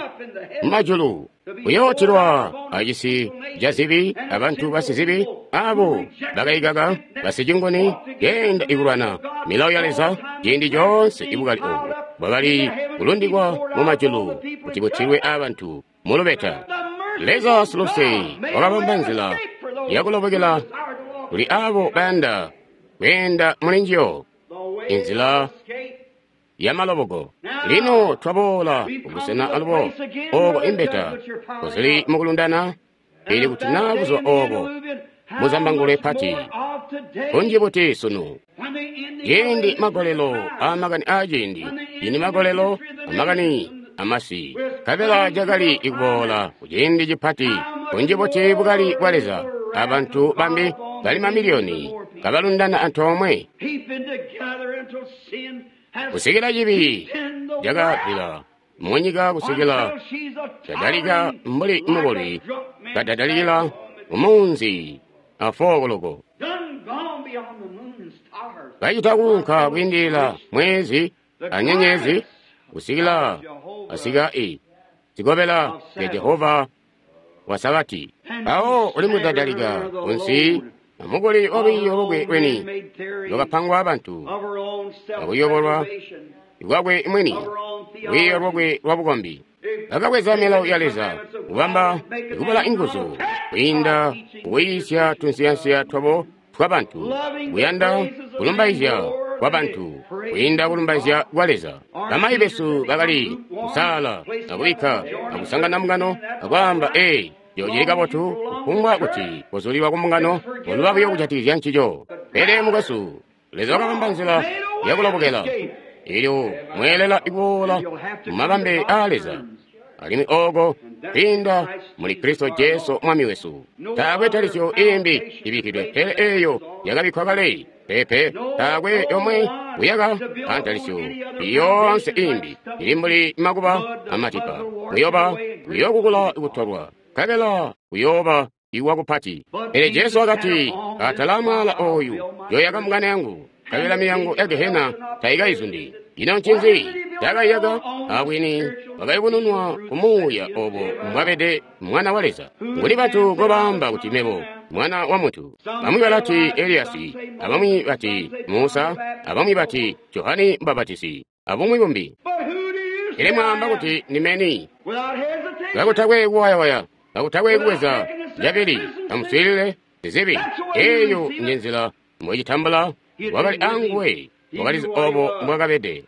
mumajulu kuyootilwa acisi ca zibi abantu basizibi abo bakaikaka basicinguni keenda ikulwana milawo ya Leza. Ciindi coonse ibukali obu bwakali kulundikwa mumajulu kuti butilwe abantu mulubeta. Leza siluse wakabamba nzila yakulobokela kuli abo bayanda kweenda muli njiyo, inzila yamaloboko. Lino twaboola kubusena alubo ooko imbeta kuzili mukulundana, ili kuti naa buzuba oobo muzambangulwe pati kunji buti sunu. Ciindi magolelo aamakani aaciindi, ciindi magolelo amakani amasi, nkabela cakali ikuboola kuciindi cipati kunji buti bukali bwa Leza abantu bambi bali mamiliyoni kabalundana antoomwe kusikila cibi cakabila munyika, kusikila cadalika mbuli mukoli kadadalikila mumunzi afokoloko kacita kuunka kwiindilila mwezi anyenyezi kusikila asika i zikobela zya Jehova wa Sabati. Awo uli mudadalika kunsi amukuli walwiiyo lwakwe lweni lwakapangwa abantu akuyobolwa lwakwe mwini, lwiiyo lwakwe lwa bukombi. Bakabweza milawo ya Leza kubamba ikubala inguzu kwiinda kuyiisya tunsiyansiya twabo twabantu, kuyanda kulumbaizya kwabantu kwiinda kulumbaizya kwa Leza. Bamayi besu bakali kusaala akubikka akusangana mbungano akwaamba, ee, cili kabotu kufumbwa kuti kuzulilwa kumbungano koluba buyo kujatikizya ncico. Pele mukwesu, Leza wakabamba nzila yakulobokela elyo mweelela ikuboola mumabambe aa Leza, alimwi ooko kwiinda muli Kristo Jesu Mwami wesu. Taakwe talisyo iimbi ibikkidwe pele eeyo yakabikkwa kale. Pepe, taakwe yomwe kuyaka antalisyo yoonse iimbi ili mbuli makuba amatipa. Kuyoba kuyokukula kutolwa, nkabela kuyooba iwakupati. Pele Jesu wakati, atala mwaala oyu yoyaka mbungano yangu, nkabela milyango ya gehena taikaizundi. Ino ncinzi cakaiyaka? Abwini bwakayubununwa ku Muuya obo mbwabede Mwana wa Leza. Nguni bantu ngobaamba kuti mebo Mwana wa Muntu? Bamwi balati Eliyasi, abamwi bati Musa, abamwi bati Johane Mubapatizi, abumwi bumbi. Pele mwaamba kuti ndimeni? Kakutakwe kuwayawaya, kakutakwe kubweza cabili, amuswiilile zizibi. Eeyo njenzila mbwecitambula. Wakali anguwe, wakalizi obo mbwakabede.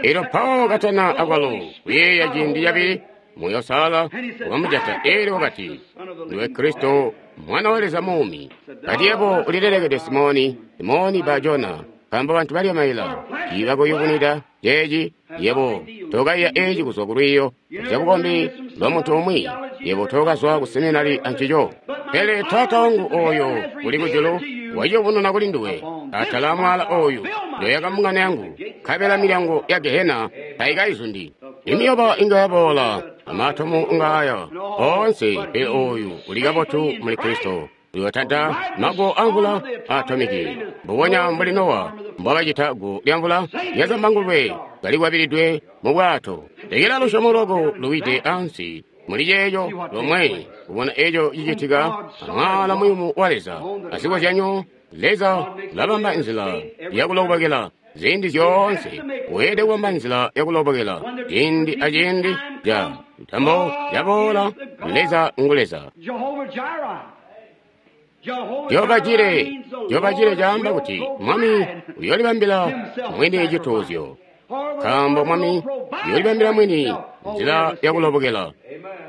Elyo Paulo katana akwalo kuyeeya ciindi cabili, Muuya Uusalala wakamujata, elyo wakati, ndiwe Kristo, Mwana wa Leza muumi. Kati yebo ulilelekede Simoni, Simoni Bajona, nkaambo bantu balya maila tiibakuyubunwida ceeci. Yebo tokaiya eeci kuzwa ku lwiiyo zyabukombi lwa muntu umwi, yebo tokazwa ku seminari ancico. Pele Taata wangu oyo uli kujulu waciyubununa kuli nduwe. Atala mwaala oyu ndoyaka mbungano yangu, nkabela milyango ya gehena taikaizundi. Imiyoba inga yaboola, amatomu ngaaya oonse, pele oyu uli kabotu muli Kristo. Uyotanta mago amvula atomiki, mbubonya mbuli Nowa mbwakacita gu lyamvula yazambangulwe kalikwabilidwe mu bwato. Lekela lusyomo lwako luwide ansi muli ceeco lomwe, kubona eco cicitika amwaala muyumu wa Leza. Azikozyanyo, Leza ulabamba nzila yakulobokela ziindi zyoonse. Weelede kubamba nzila yakulobokela ciindi aciindi ca ntambo yaboola. Leza ngu Leza. Jehova Jire, Jehova Jire caamba kuti Mwami uyoolibambila mwini cituuzyo, nkaambo Mwami uyoolibambila mwini nzila yakulobokela.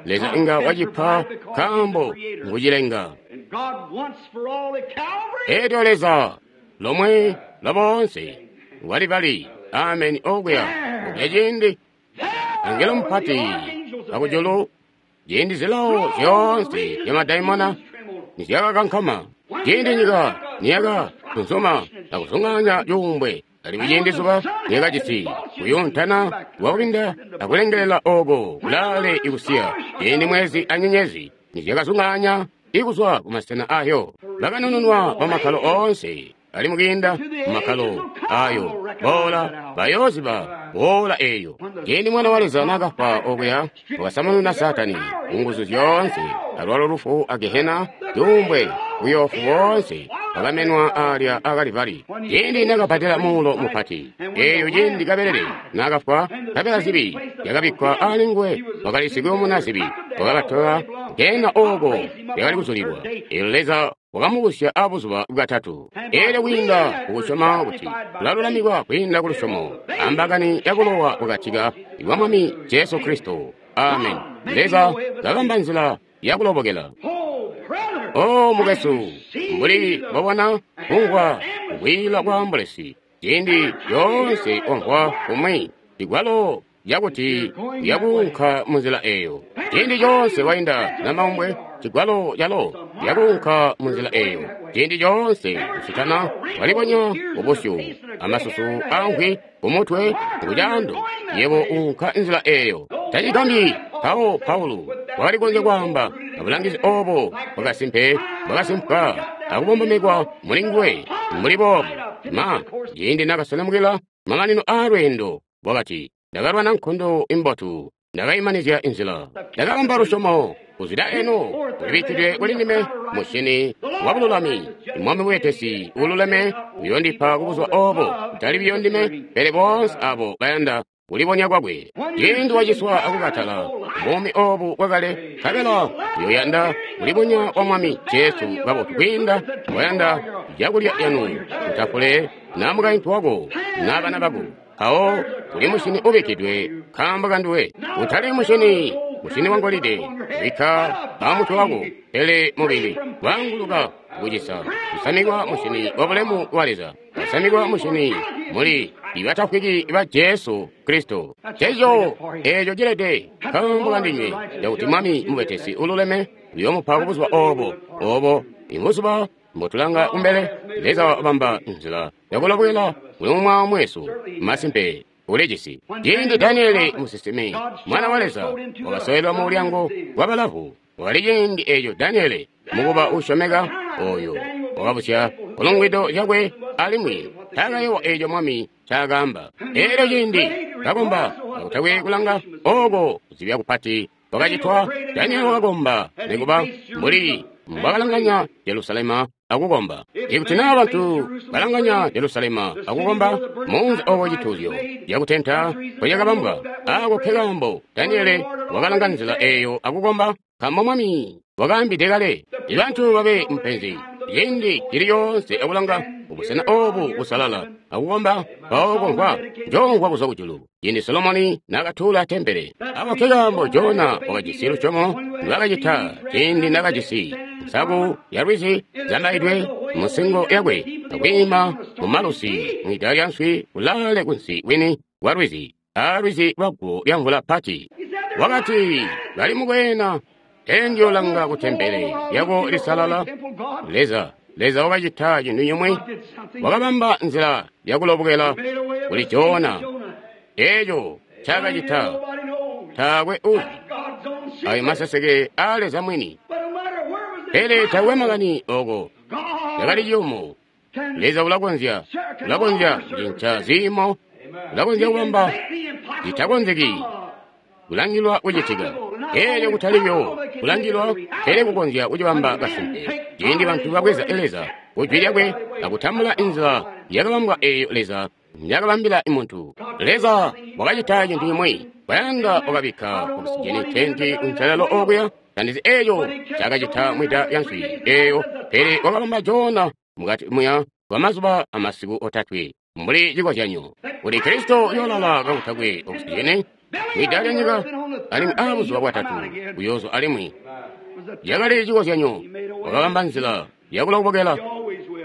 Leza inga wacipa nkaambo ngucilenga. Elyo Leza lomwe lwaboonse walibali ameni okuya okuya ciindi angelo mupati akujulu, ciindi zilawo zyoonse zyamadaimona nizyakakankama, ciindi nyika niyaka tunsuma akuzunganya cuumbwe, alimwi ciindi zuba niyakajisi kuyuntana kwakubinda akulengelela oko kulaale ikusiya, ciindi mwezi anyenyezi nizyakazunganya ikuzwa kumasena ayo, bakanununwa bamakkalo oonse ali mukiinda mumakkalo ayo boola bayooziba boola eeyo. Ciindi Mwana wa Leza naakafwa okuya, wakasamununa Saatani kunguzu zyoonse, alwalo lufu a gehena, cuumbwe, buyoofu boonse bakamenwa alya akalivali. Ciindi naakabhadela muulo mupati eeyo, ciindi kabelele naakafwa, nkabela zibi yakabikkwa ali nguwe, wakali sikuyumuna zibi, wakabatola gehena ooko lyakali kuzulilwa. Eelyo Leza wakamubusya abuzuba bwatatu. Eelyo kwiinda kukusyoma kuti tulalulamikwa kwiinda kulusyomo ambakani yakulowa bwakatika bwa Mwami Jesu Kristo. Amen. Leza kabamba nzila yakulobokela. O mukwesu, mbuli mbobona kumvwa kukwiila kwa ambulesi, ciindi yoonse wamvwa kumwi ligwalo yakuti yakuunka munzila eeyo. Ciindi coonse wainda namaumbwe, cigwalo calo yakuunka munzila eeyo. Ciindi coonse usitana walibonya kubusyu amasusu amvwi kumutwe kucaando, yebo uunka nzila eeyo. Tacigambyi mpawo Paulo wakali konzya kwaamba abulangizi obo bwakasimpe bwakasimpwa akubombomekwa muli nguwe mbuli boobu. Ma ciindi nakaselemukila mamanino aalweendo, wakati, ndakalwana nkondo imbotu, ndakaimanizya inzila, ndakabamba lusyomo. Kuzwida eno kulibikkidwe kuli ndime mushini wa bululami, Mwami weetesi ululeme uyondipa kubuzuba obo, kutali biyo ndime, pele boonse abo bayanda kulibonya kwakwe. Ciindi waciswa akukatala buumi obu bwakale, nkabela uyoyanda kulibonya kwa Mwami Jesu kabotu kwiinda wayanda cakulya yanu kutafule na mukaintu wako na bana bako. Mpawo kuli mushini ubikkidwe nkaambo kanduwe, utali mushini mushini wa ngolide ubikka amutwe wako, pele mubili waanguluka kucisa kusamikwa mushini wa bulemu wa Leza, kusamikwa mushini muli ibatafwiki ba Jesu Kristo. Ceco eeco cilede nkaambo kandinywe, cakuti Mwami mubetesi ululeme uyoomupa kubuzuba obo obo ibuzuba mbotulanga kumbele. Leza wabamba nzila yakulobwela kuli umwi mwesu. Masimpe ulijisi. Ciindi Daniele musinsimi, mwana wa Leza, wakasowelwa mu mulyango wa balavu, Wakali ciindi eco Daniele, mukuba uusyomeka oyo, wakabusya kulungwido zyakwe alimwi taakayowa eco mwami ncaakaamba. Elyo ciindi kakomba kakutakwe kulanga oko kuzibya kupati kwakacitwa, Daniele wakakomba nikuba mbuli mbwakalanganya Jerusalema akukomba. Ikuti naa bantu balanganya Jerusalema akukomba munzi oko cituuzyo cakutenta mpocakabambwa, ako nkekaambo Daniele wakalanga nzila eyo akukomba, nkaambo mwami wakaambide kale. Ibantu babe mupenzi ciindi cili coonse akulanga kubusena obu busalala akukomba, mpawo komvwa njoomvwa kuzwa kujulu. Ciindi Solomoni naakatuula tempele, ako nkekaambo Jona wakajisi lusyomo ndwaakacita ciindi naakajisi nsaku ya lwizi zambaidwe munsingo yakwe akwiima mumalusi mwida lya nswi kulaale kunsi kwini kwa lwizi, a lwizi lwaguwo lya mvula pati. Wakati bali mukweena, teenjoolanga ku tempele lyako lisalala. Leza, Leza wakacita cintu cimwi, wakabamba nzila yakulobokela kuli Jona. Eco ncaakacita taakwe uzi, ayo maseseke aa Leza mwini. Pele taakwe makani oko cakali ciyumu. Leza ulakonzya, ulakonzya kucinca ziimo, ulakonzya kubamba zitakonzeki kulangilwa kucitika. Elyo kutali buyo kulangilwa, pele kukonzya kucibamba kasimpe. Ciindi bantu babweza Leza kujwi lyakwe akutambula inzila yakabambwa eyo Leza njakabambila muntu. Leza wakacita cintu cimwi, bayanda wakabikka okusijeni tenti kunselelo okuya, tandizi eyo cakacita mwida lya nswi eyo, pele wakabamba Jona mukati muya kwa mazuba amasiku otatwe mbuli cikozyanyo. Kuti Kristo uyoolala kakutakwe okusijeni mwida lya nyika, alimwi a buzuba bwatatu uyoozwa alimwi. Yakali cikozyanyo, wakabamba nzila yakulobokela,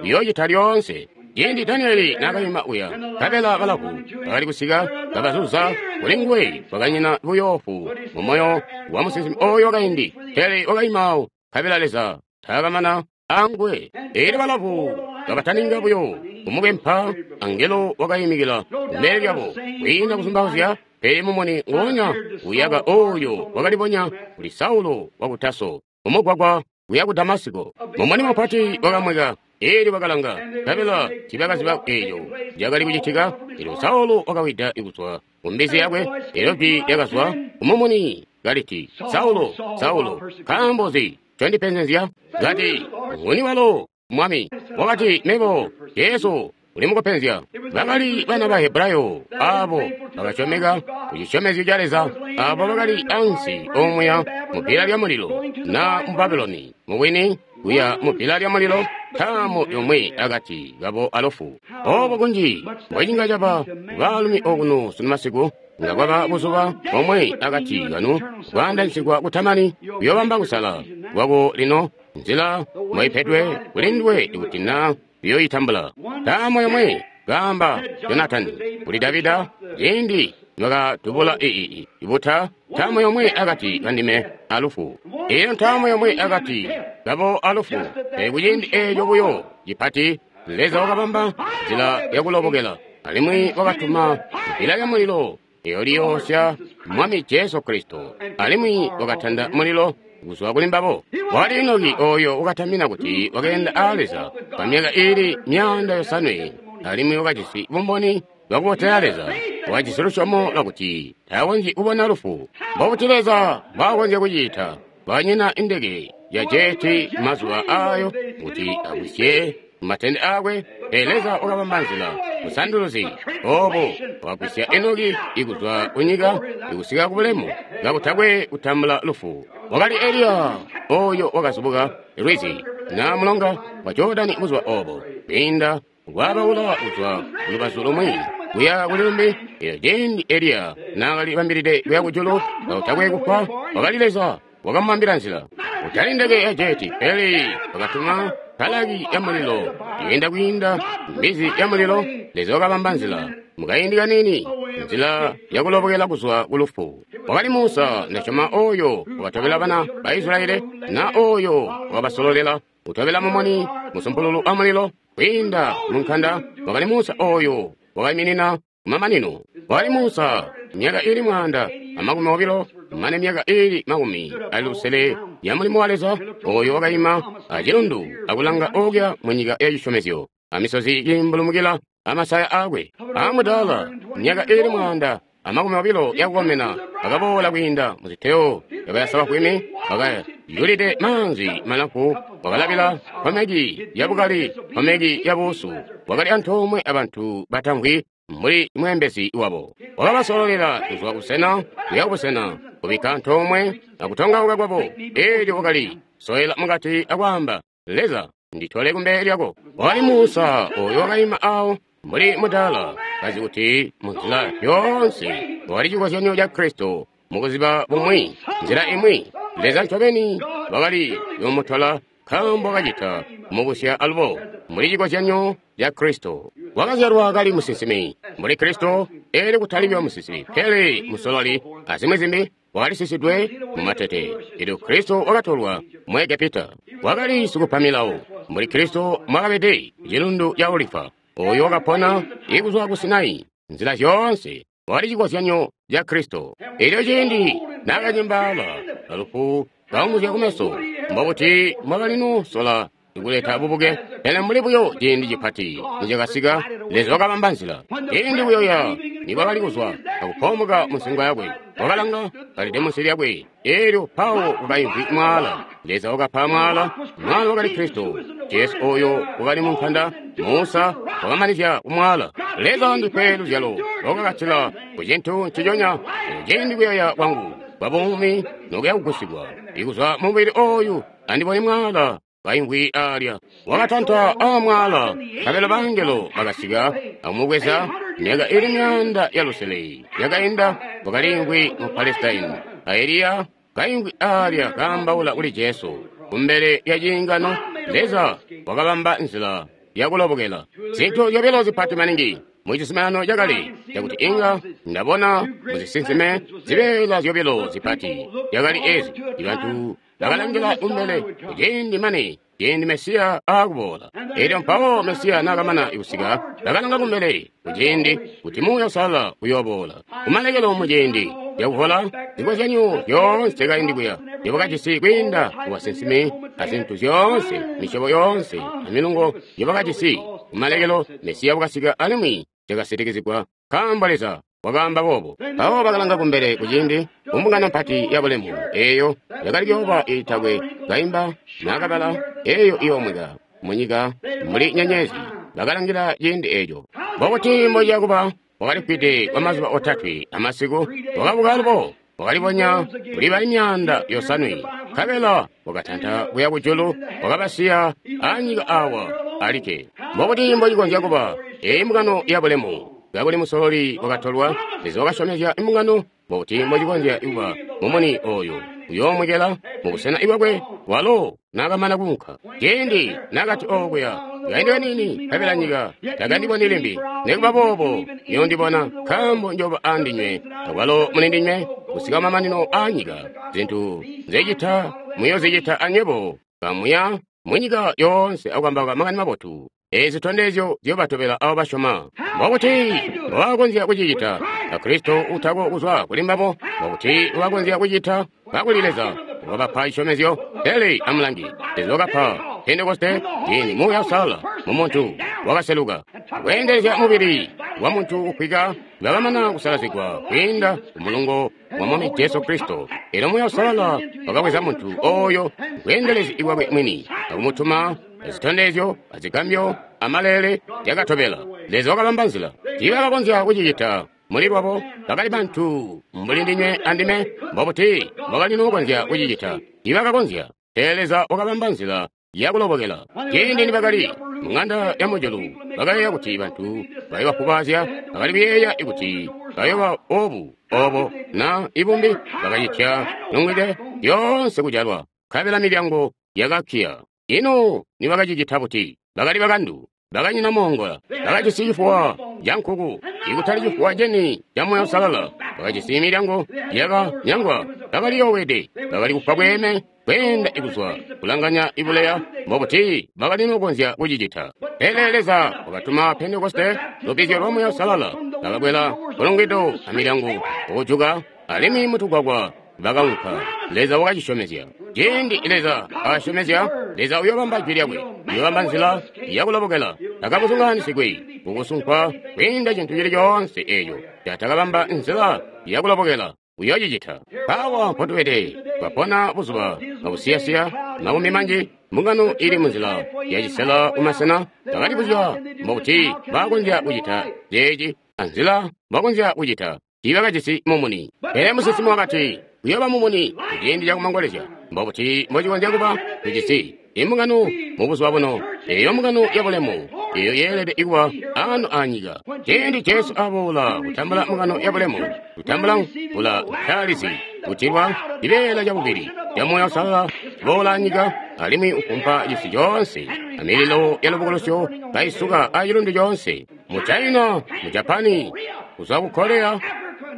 uyoocita lyoonse. Ciindi Danieli naakayima uya, nkabela balavu bakali kusika kabazuza kuli nguwe, kwakanyina buyoofu mu moyo wa musinsimi oyo wakaindi, pele wakayimaawo, nkabela Leza taakamana anguwe. Elyo balavu kabataninga buyo kumubempa, angelo wakayimikila kumbele lyabo kwiinda kuzumbauzya, pele mumuni nguonya uyaka oyo wakalibonya kuli Saulo waku Taso mumugwagwa kuya ku Damasiko. Mumuni mupati wakamweka, elyo bakalanga, nkabela tiibakaziba eco cakali kucitika. Elyo Saulo wakawida kuzwa ku mbizi yakwe, elyo jwi lyakazwa kumumuni kaliti, Saulo, Saulo, nkaambo nzi ncondipenzezya? Kati, nguni walo, Mwami? Wakati, mebo, Jesu, uli mukupenzya. Bakali bana ba Hebrayo abo bakasyomeka ku cisyomezyo ca Leza, abo bakali ansi omuya mu bbila lya mulilo na mu Babuloni, mubwini kuya mu bbila lya mulilo, ntaamo yomwe akati kabo alufu. Obo kunji mbwecinga caba baalumi okuno sunu masiku, nga kwaba buzuba bomwe akati kanu kwaandanyisigwa kutamani, kuyoobamba kusala kwako lino, nzila mwaipedwe kuli nduwe ikuti na uyoyitambula. Ntaamo yomwe, kaamba Jonatani kuli Davida ciindi nibakadubula ii ibuta, ntaamo yomwe akati kandime alufu. Eyo ntaamo yomwe akati kabo alufu. Pele kuciindi eco buyo cipati, Leza wakabamba nzila yakulobokela, alimwi wakatuma bbila lya mulilo eyo liyoosya Mwami Jesu Kristo, alimwi wakatanda mulilo kuzwa kuli mbabo. Wakali Enoki oyo wakatamina kuti wakeenda a Leza kwa myaka iili myaanda yosanwe, alimwi wakajisi bumboni bwakubotela Leza, wakajisi lusyomo lwakuti takonzyi kubona lufu. Mbobuti Leza mbwaakonzya kucita? Kwakanyina indeke ya jeti mazuba ayo kuti agwisye matende akwe, pele Leza wakabamba nzila busanduluzi obo wakagwisya Enoki ikuzwa kunyika ikusika kubulemu kakutakwe kutambula lufu. Wakali Eliya oyo wakazubuka lwizi na mulonga wa Jordani buzuba obo, kwiinda kwabaula kuzwa kulubazu lumwi kuya kuli lumbi. Elyo ciindi Eliya naakali bambilide kuya kujulu kakutakwe kufwa, wakali Leza wakamubambila nzila. Kutali ndeke ya jeti, pele wakatuma palaki ya mulilo yenda kwiinda mbizi ya mulilo. Leza wakabamba nzila mukaindi kanini, nzila yakulobokela kuzwa kulufu. Wakali Musa, ndasyoma, oyo wakatobela bana ba Israeli, na oyo wakabasololela kutobela mumuni musumpululu wa mulilo kwiinda munkanda. Wakali Musa oyo wakaiminina kumamanino. Wakali Musa myaka ili mwaanda amakumi obilo mane myaka iili makumi ali lusele ya mulimo wa Leza, oyo wakaima acilundu akulanga okuya mu nyika ya cisyomezyo, amisozi kiimbulumukila amasaya akwe. Amudaala, myaka iili mwaanda amakumi obilo yakukomena, akaboola kwiinda muziteo yakayasa bafwimi, wakayulide maanzi malamfu, wakalabila nkomeki yabukali, nkomeki yabuusu, wakali antoomwe abantu batamvwi mbuli mweembezi wabo. Wakabasololela kuzwa busena kuya kubusena, kubikka antoomwe akutongauka kwabo. Eelyo wakali soela mukati akwaamba, Leza, nditole kumbele lyako. Wakali Musa oyo wakaima awo mbuli mudaala, kazi kuti munzila yoonse wakali cikozyanyo ca Kristo mukuziba bumwi, nzila imwi Leza ncobeni wakali yomutola, nkaambo kacita mubusya alubo mbuli cikozyanyo ca Kristo. Wakazyalwa kali musinsimi mbuli Kristo, eelyo kutali buyo musinsimi pele musololi azimwi zimbi, wakali sisidwe mu matete. Elyo Kristo wakatolwa mu Egepita. Wakali sikupa milawo mbuli Kristo mwakabede cilundu ca Olifa, oyo wakapona ikuzwa ku Sinai. Nzila zyoonse wakali cikozyanyo ca Kristo. Elyo ciindi naakacembaala alufu kaunguzya kumeso, mbobuti mwakali nusola kuleta bubuke? Pele mbuli buyo ciindi cipati nicakasika, Leza wakabamba nzila. Ciindi kuyoya nikwakali kuzwa akupoomoka munsingo yakwe, wakalanga kalide munsi lyakwe, eelyo pawo kwakaimvwi mwaala. Leza wakapa mwaala, mwaala wakali Kristo Jesu oyo wakali mu nkanda. Musa wakamanizya kumwaala. Leza ndipe luzyalo lwakakatila ku cintu nciconya. Ciindi kuyoya kwangu kwa buumi nokuya kugusigwa ikuzwa mubili oyu, andibone mwaala kaimvwi alya. Wakatanta amwaala, nkabela bangelo bakasika akumubweza. Myaka ili myaanda ya lusele yakainda, wakaliimvwi mu Palestine, a Eliya kaimvwi alya kaambaula kuli Jesu kumbele lya ciingano. Leza wakabamba nzila yakulobokela. Zintu zyobilo zipati maningi mu cizuminano cakale cakuti inga ndabona muzisinsime, zibeela zyobilo zipati yakali ezi: ibantu bakalangila kumbele kuciindi mane ciindi Mesiya aakuboola. Elyo mpawo Mesiya naakamana kusika, bakalanga kumbele kuciindi kuti Muuya Uusalala uyooboola. Kumalekelo muciindi cakuvola, zikozyanyo zyoonse kaindi kuya zyobakajisi kwiinda kubasinsimi azintu zyoonse, misyobo yoonse amilungo yobakajisi, kumalekelo Mesiya wakasika alimwi cakasitikizigwa, nkaambo Leza wakaamba boobo. Mpawo bakalanga kumbele kuciindi kumbungano mpati ya bulemu eeyo yakali kuyooba iitakwe kaimba naakabala, eeyo iyoomweka munyika mbuli nyenyezi. Bakalangila ciindi eeco. Mbokuti mbociya kuba? Wakalifwide kwa mazuba otatwe amasiku, wakabuka alubo, wakalibonya kuli bali myaanda yosanwe, nkabela wakatanta kuya kujulu, wakabasiya anyika awa alikke. Mbokuti mbocikonzya kuba eeyi mbungano ya bulemu kakuli musololi wakatolwa? Leza wakasyomezya imbungano. Mbokuti mbocikonzya kuba mumuni oyo uyoomwekela mubusena bwakwe walo naakamana kuunka? Ciindi naakati okuya, kaindi kaniini nkabela nyika takandiboni limbi, nikuba boobo muyondibona, nkaambo njooba aandinywe, akwalo mulindinywe, kusika mamanino aanyika. Zintu nzecita muyoozicita anywebo. Kamuya munyika yoonse akukambauka makani mabotu. Eezi zitondezyo ziyoobatobela abo basyoma. Mbokuti mbobakonzya kucicita a Kristo utako kuzwa kuli mbabo? Mbokuti mbobakonzya kucita kakuli Leza wakabapa cisyomezyo? Pele amulangi, Leza wakapa Pentekoste ciindi Muuya Uusalala mu muntu wakaseluka kweendelezya mubili wa muntu ufwika bakamana kusalazigwa kwiinda ku mulungo wa Mwami Jesu Kristo. Elyo Muuya Uusalala wakabweza muntu oyo bweendelezi bwakwe mwini akumutuma zitondezyo azigambyo amalele yakatobela. Leza wakabamba nzila. Tiibakakonzya kucicita muli lwabo, bakali bantu mbuli ndinywe andime. Mbobuti mbokali nukonzya kucicita? Tiibakakonzya. Pele Leza wakabamba nzila yakulobokela. Ciindi nibakali muŋanda ya mujulu, bakayeeya kuti bantu bayobafubaazya, bakali kuyeeya kuti bayoba obu obo na ibumbi. Bakacitya nungwide yoonse kujalwa, nkabela milyango yakakkiya. Ino nibakacicita buti? Bakali bakandu, bakanyina moongola, bakajisi cifuwa ca nkuku, ikutali cifuwa ceni ca Muuya Uusalala. Bakajisi milyango yakanyangwa, bakaliyoowede, bakali kufwa bweeme kweenda ikuzwa kulanganya ibuleya. Mbobuti bakali nukonzya kucicita? Pele Leza wakatuma Pentekoste, lubbizyo lwa Muuya Uusalala, bakakwela kulungwido amilyango okujuka, alimwi mutugwagwa Bakaunka. Leza wakacisyomezya. Ciindi Leza asyomezya, Leza uyobamba jwi lyakwe, uyobamba nzila yakulobokela. Takabuzunganisigwi kukusunkwa kwiinda cintu cili coonse eeco catakabamba nzila yakulobokela. Uyocicita. Mpaawa mpotubede, twapona buzuba bwakusiyasiya makumi manji, mbungano ili munzila yacisela kumasena. Bakalibuzya mbokuti bakonzya kucita ceeci anzila bakonzya kucita. Tiibakajisi mumuni. Pele musinsimi wakati kuyooba mumuni kuciindi cakumangolezya. Mbokuti mbocikonzya kuba tujisi imbungano mubuzuba buno, eyo mbungano yabulemu eyo yeelede kuba ano anyika. Ciindi Jesu aboola kutambula mbungano yabulemu, kutambula mvula ntaalizi, kutilwa cibeela cabubili ca Muuya Uusalala boola anyika, alimwi ukumpa cisi coonse amililo ya lubukulusyo kaisuka acilundu coonse mu China, mu Japani, kuzwa ku Korea,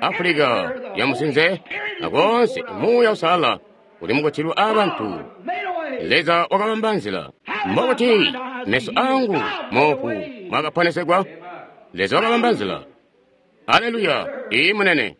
Afrika ya musinze, akoonse Muuya Uusalala uli mukutilwa abantu. Leza wakabamba nzila. Mbokuti meso angu moofu mwakaponesegwa. Leza wakabamba nzila. Aleluya! Iyi munene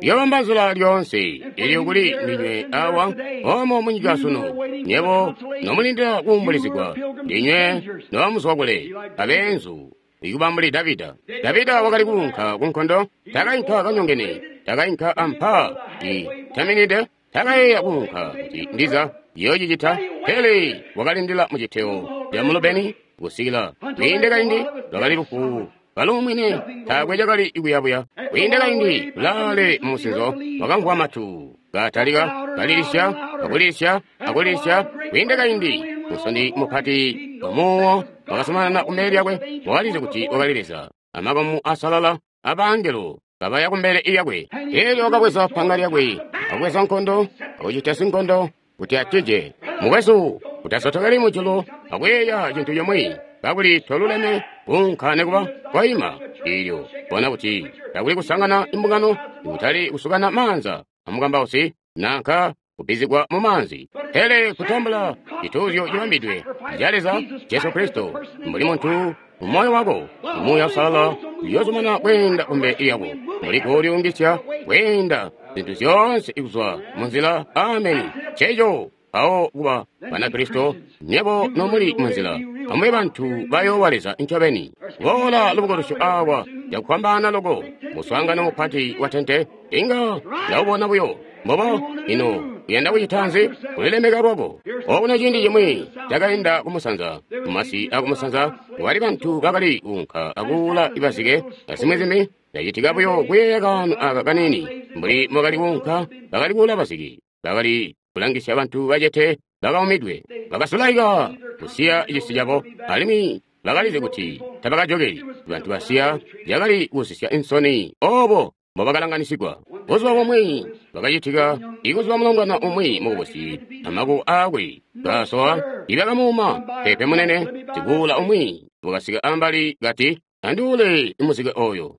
yobamba nzila lyoonse ilyo kuli ndinywe awa omo munyika sunu. Nyebo nomulindila kuumbulizigwa, ndinywe nobamuzwa kule abeenzu ikuba mbuli Davida. Davida wakali kuunka kunkondo, takainka kanyongene, takainka ampa itaminide, takayeeya kuunka kuti ndiza yoocicita, pele wakalindila muciteo ca mulubeni kusikila kwiinde kaindi lwakali lufu kaluumwine, taakwe cakali kuyabuya. Kwiinde kaindi kulaale mumusinzo wakamvwa matu katalika kalilisya akulisya akulisya. Kwiinde kaindi musondi mupati wamuwo wakasomanana kumbele lyakwe, wakalizi kuti wakali Leza amakamu asalala abangelo kabaya kumbele lyakwe. Elyo wakabweza panga lyakwe akubweza nkondo akucita sinkondo kuti atije. Mukwesu, utasotokeli mujulu akuyeeya cintu cimwi kakuli toluleme kuunka nekuba kwaima. Ilyo bona kuti takuli kusangana imbungano, kutali kusukana maanza amukambausi nanka kubbizigwa mu maanzi, pele kutambula cituuzyo cibambidwe ca Leza Jesu Kristo mbuli muntu mu moyo wako. Muuya Uusalala uyoozumana kweenda kumbele lyako mbuli kulyungisya kweenda zintu zyoonse kuzwa munzila. Ameni. Nceeco mpawo kuba Banakristo nyebo nomuli munzila, amube bantu bayoowa Leza ncobeni. Boola lubukulusyo awa cakufwambaana loko, muswaangano mupati wa tente inga ndawubona buyo. Mbobo ino uyanda kucita nzi? Kulilemeka lwako. Okuno ciindi cimwi cakainda kumusanza, mumasi akumusanza kwali bantu bakali kuunka akuula ibazike azimwi-zimwi. Ndacitika buyo kuyeeya kaano aka kanini. Mbuli mwakali kuunka, bakali kuula bazike, bakali kulangisya bantu bacete bakaumidwe, bakasulaika kusiya cisi cabo, alimwi bakalizi kuti tabakajokeli. Bantu basiya cakali kusisya insoni obo mbobakalanganisigwa. Buzuba bumwi bakacitika ikuzuba mulongwana umwi mukubusi amaku aakwe kasowa ibakamuuma pepe munene. Sikuula umwi wakasika ambali kati, anduule muzike oyo.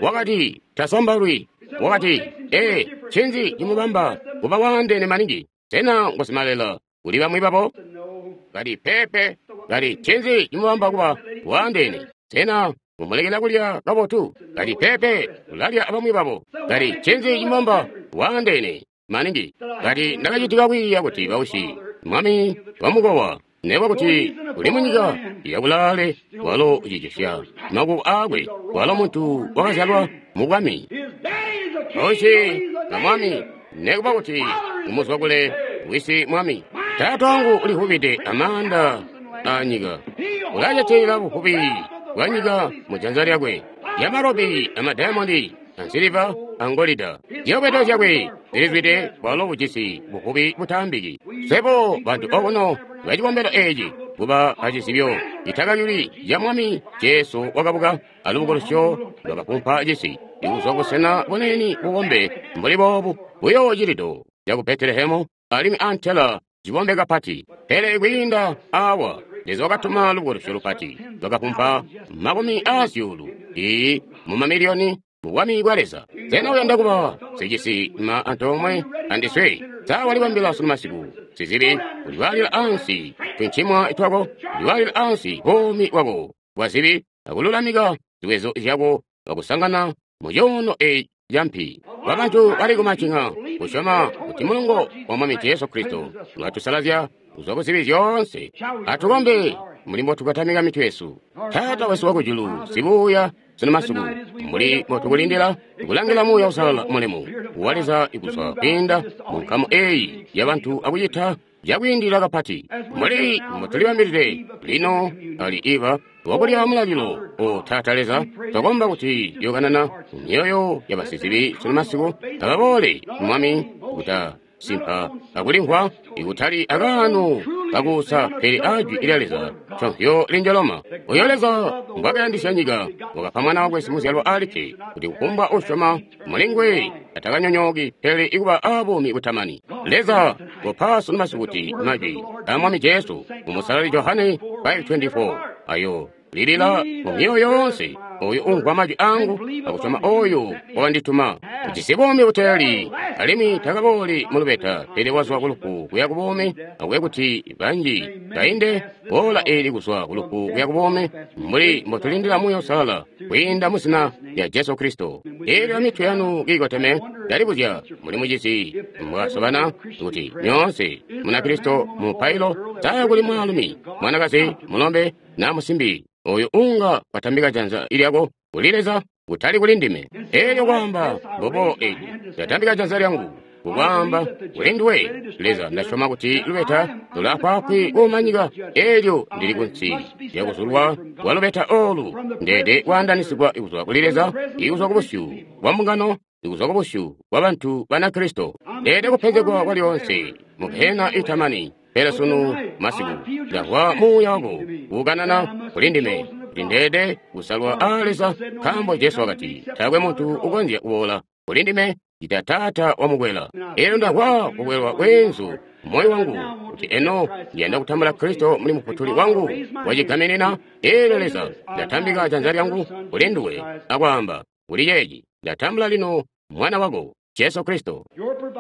Wakati tasambalwi. Wakati, ee, ncinzi cimubamba kuba waandeene maningi? Sena ngusimalela kuli bamwi babo? Kati pepe. Kati ncinzi cimubamba kuba waandeene? Sena mumulekela kulya kabotu? Kati pepe, ulalya abamwi babo. Kati ncinzi cimubamba waandeene maningi? Kati ndakacitika kwiiya kuti bausi mwami wamukowa nekuba kuti uli munyika yakulaale, walo ucicisya makuko aakwe, walo muntu wakazyalwa mubwami. Bausi na mwami, nekuba kuti umuzwa kule wisi mwami. Taata wangu ulivubide amaanda anyika, ulacetelela buvubi bwanyika mujanza lyakwe, lyamarobi amadayamondi ansiliva angolida. Ziyobwedo zyakwe zilizwide, walo bujisi buvubi butaambiki. Swebo bantu okuno bacikombelo eeci kuba acizibyo citakayuli ca Mwami Jesu wakabuka alubukulusyo lwakafumpa cisi ikuzwa busena bunene bubombe mbuli boobu buyo cilido caku Betelehemu alimwi antela cibombe kapati. Pele kwiinda awa Leza wakatuma lubukulusyo lupati lwakafumpa makumi aazyuulu ii mumamiliyoni mubwami bwa Leza. Sena uyanda kuba sicisi ma antoomwe andiswe? Sa walibambila sunu masiku sizibi uliwaalila ansi tuncimwa twako, uliwaalila ansi buumi bwako bwa zibi akululamika ziwezo zyako akusangana mu cuuno eeci campi babantu bali kumacinga kusyoma kuti mulungo wa Mwami Jesu Kristo ulatusalazya kuzwa kuzibi zyoonse. Atukombe mbuli mbotukatamika mitwe yesu. Taata wesu wakujulu, sibuuya sunu masiku, mbuli mbotukulindila kulangila Muuya Uusalala mulemu wa Leza ikuzwa kwiinda mu nkamu eyi yabantu akucita cakwiindilila kapati mbuli mbotulibambilide lino ali iba wakulya mulalilo. O Taata Leza, twakomba kuti yokanana myoyo yabasizibi sunu masiku ababoole Mwami kuta simpa akulimvwa ikutali akaano kakuusa pele ajwi lya Leza conhyo linjoloma. Oyo Leza mbwakayandisya nyika wakapa mwana wakwe simuzyalwa alikke kuti kufumbwa usyoma mulingwe atakanyonyooki pele ikuba abuumi butamani. Leza kopa sunu masiku kuti majwi a Mwami Jesu mumusalali Johane five twenty-four ayo lilila mu myoyo yoonse oyo umvwa majwi angu akusyoma oyo wakandituma ujisi buumi buteeli alimwi takabooli mu lubeta pele wazwa kulufu kuya ku buumi, akuye kuti banji bainde boola eli kuzwa kulufu kuya ku buumi mbuli mbotulindila Muuya Uusalala kwiinda mu zina lya Jesu Kristo. Eelyo mitwe yanu kiikoteme, ndalibuzya muli mucizi mbwasobana kuti nyoonse Munakristo mu mupailo saya kuli mwaalumi, mwanakazi, mulombe na musimbi oyo unga watambika janza lyako kuli Leza kutali kuli ndime. Eelyo kwaamba mbobo eli ndatambika janza lyangu kukwaamba kuli nduwe Leza, ndasyoma kuti lubeta lulaafwaafwi kuumanyika. Eelyo ndili kunsi lyakuzulwa kwa lubeta olu, ndeede kwaandanisigwa kuzwa kuli Leza, ikuzwa kubusyu bwa mbungano, ikuzwa kubusyu bwa bantu Banakristo. Ndeede kupenzegwa kwa lyoonse mu gehena itamani. Pele sunu masiku ndamvwa Muuya wako kukanana kuli ndime kuti ndeede kusalwa a Leza, nkaambo Jesu wakati taakwe muntu ukonzya kuboola kuli ndime ita Taata wamukwela. Eelyo ndamvwa kukwelwa kweenzu moyo wangu kuti eno ndiyanda kutambula Kristo muli mufutuli wangu wacigaminina. Eelyo Leza, ndatambika janza lyangu kuli nduwe akwaamba kuli ceeci, ndatambula lino mwana wako Jesu Kristo.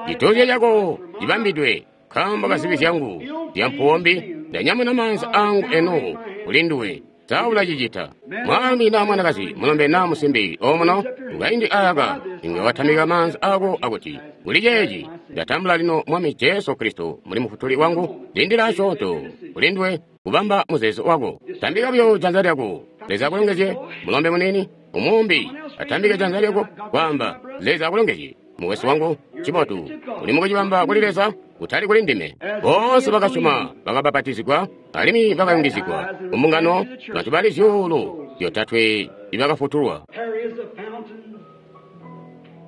Cituuzyo cako cibambidwe nkaambo ka zibi zyangu zyampuwombi, ndanyamuna maanza angu eno kuli nduwe. Saulacicita mwami na mwanakazi, mulombe na musimbi omuno mukaindi aka inga watamika maanza ako akuti kuli ceeci ndatambula lino Mwami Jesu Kristo muli mufutuli wangu. Lindila asyoonto kuli nduwe kubamba muzeezo wako. Tambika buyo janza lyako. Leza akulongezye mulombe munini umumbi atambike janza lyako kwaamba Leza akulongezye mukwesu wangu. Cibotu uli mukucibamba kuli Leza kutali kuli ndime. Boonse bakasyoma bakabapatizigwa alimwi bakayungizigwa kumbungano bantu bali zyuulu zyotatwe ibakafutulwa.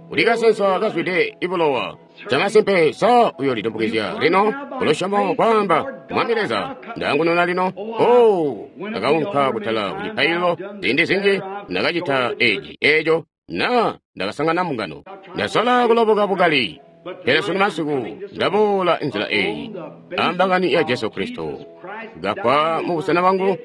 Kuli kasensa kazwide ibulowa camasimpe sa uyolitumbukizya lino kulusyomo kwaamba Mwami Leza ndangununa lino. O ndakaunka kutala kucipaililo ziindi zinji ndakacita eci eco na ndakasangana mbungano ndasola kuloboka bukali, pele sunu masiku ndaboola nzila eyi ambangani ya Jesu Kristo gafwa mu busena bwangu.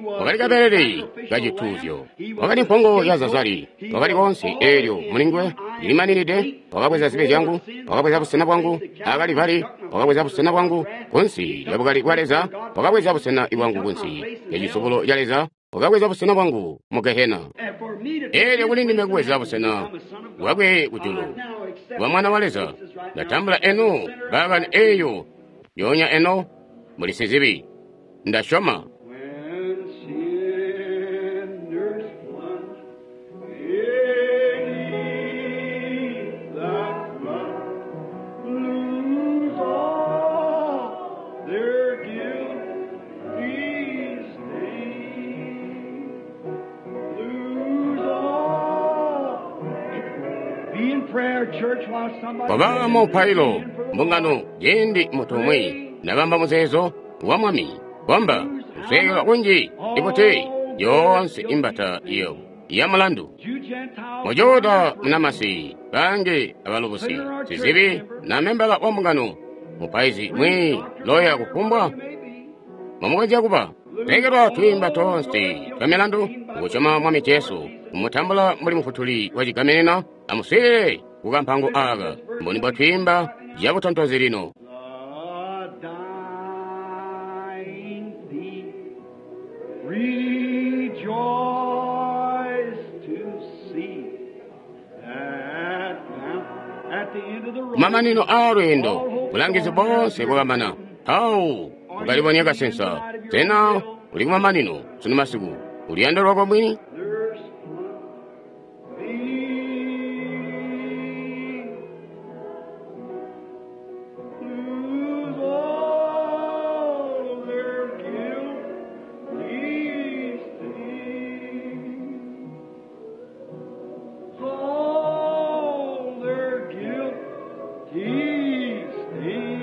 Wakali kabelele kacituuzyo, wakali mpongo ya Zazari, wakali konse eelyo mulingwe ndilimaninide. Wakabweza zibi zyangu, wakabweza busena bwangu akalivari, wakabweza busena bwangu kunsi ya bukali bwa Leza, wakabweza busena bwangu kunsi ya cisubulo ca Leza, wakabweza busena bwangu mu gehena. Eelyo kuli ndime kubweza busena bwakwe kujulu bwa mwana wa Leza. Ndatambula eno bakani eyo yonya eno muli sizibi ndasyoma. Kwaba mupailo mbungano ciindi muntu umwi nabamba muzeezo wa Mwami kwamba kusweekelwa kunji ikuti yoonse imbata iyo ya mulandu mujuda munamasi bange abalubusi sizibi na membala wa mbungano mupaizi mwi loya kufumbwa mwamukonzya kuba lekelwa twiimba tonse twa milandu kukusyoma Mwami Jesu kumutambula mbuli mufutuli wa cigaminina. Amuswiilile kukampango aka mboni bwatwiimba cabutontozi lino. Rejoice to see that Kumamanino aa lweendo, bulangizi boonse bwakamana. Mpawo wakalibonya kasensa. Sena uli kumamanino sunu masiku? Uluyando lwako mwini? Lose all their guilt, these things. All their guilt, these things.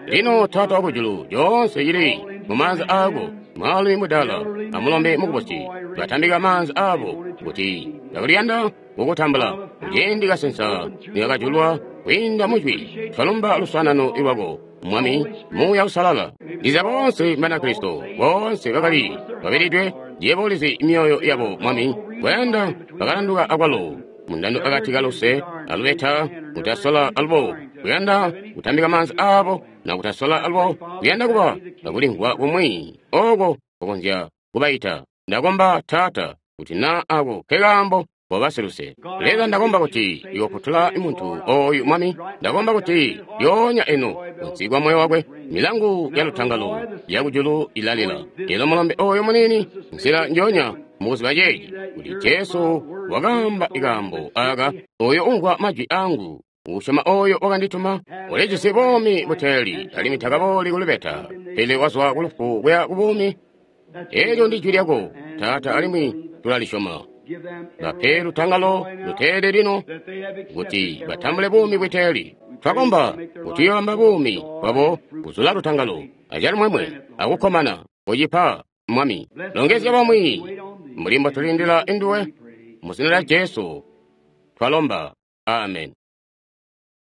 Lino Taata wakujulu, lyoonse cili mumaanza aako, mwaalumi mudaala amulombe mukubusi, batambika maanza aabo kuti ndakuliyanda kukutambula. Kuciindi kasensa nikakajulwa kwiinda mujwi, twalumba luswaanano lwako, Mwami, Muuya Uusalala. Ndiza boonse Banakristo, boonse bakali babilidwe, yebo ulizi myoyo yabo, Mwami, kuyanda bakalanduka akwalo mundando akati kaluse alubeta kutasola alubo kuyanda kutambika maanza aabo na kutasola alubo kuyanda kuba akulimvwa kumwi oko kukonzya kubaita. Ndakomba Taata kuti na ako kekaambo kobasiluse. Leza, ndakomba kuti iwofutula muntu oyu, Mwami. Ndakomba kuti lyoonya eno kunsi kwa moyo wakwe milangu ya lutangalo yakujulu ilalila. Elo mulombe oyo munini nzila njoonya mukuziba ceeci kuti Jesu wakaamba ikaambo aka, oyo umvwa majwi angu usyoma oyo wakandituma ulijisi buumi buteeli alimwi takabooli kulubeta, pele wazwa kulufu kuya kubuumi. Eelyo ndi jwi lyako, Taata, alimwi tulalisyoma. Bape lutangalo luteeli lino kuti batambule buumi bwiteeli. Twakomba kuti uyobamba buumi bwabo kuzula lutangalo acalumwemwe akukkomana. Kucipa, Mwami. Longezya bamwi mbuli mbotulindila induwe. Mu zina lya Jesu twalomba. Amen.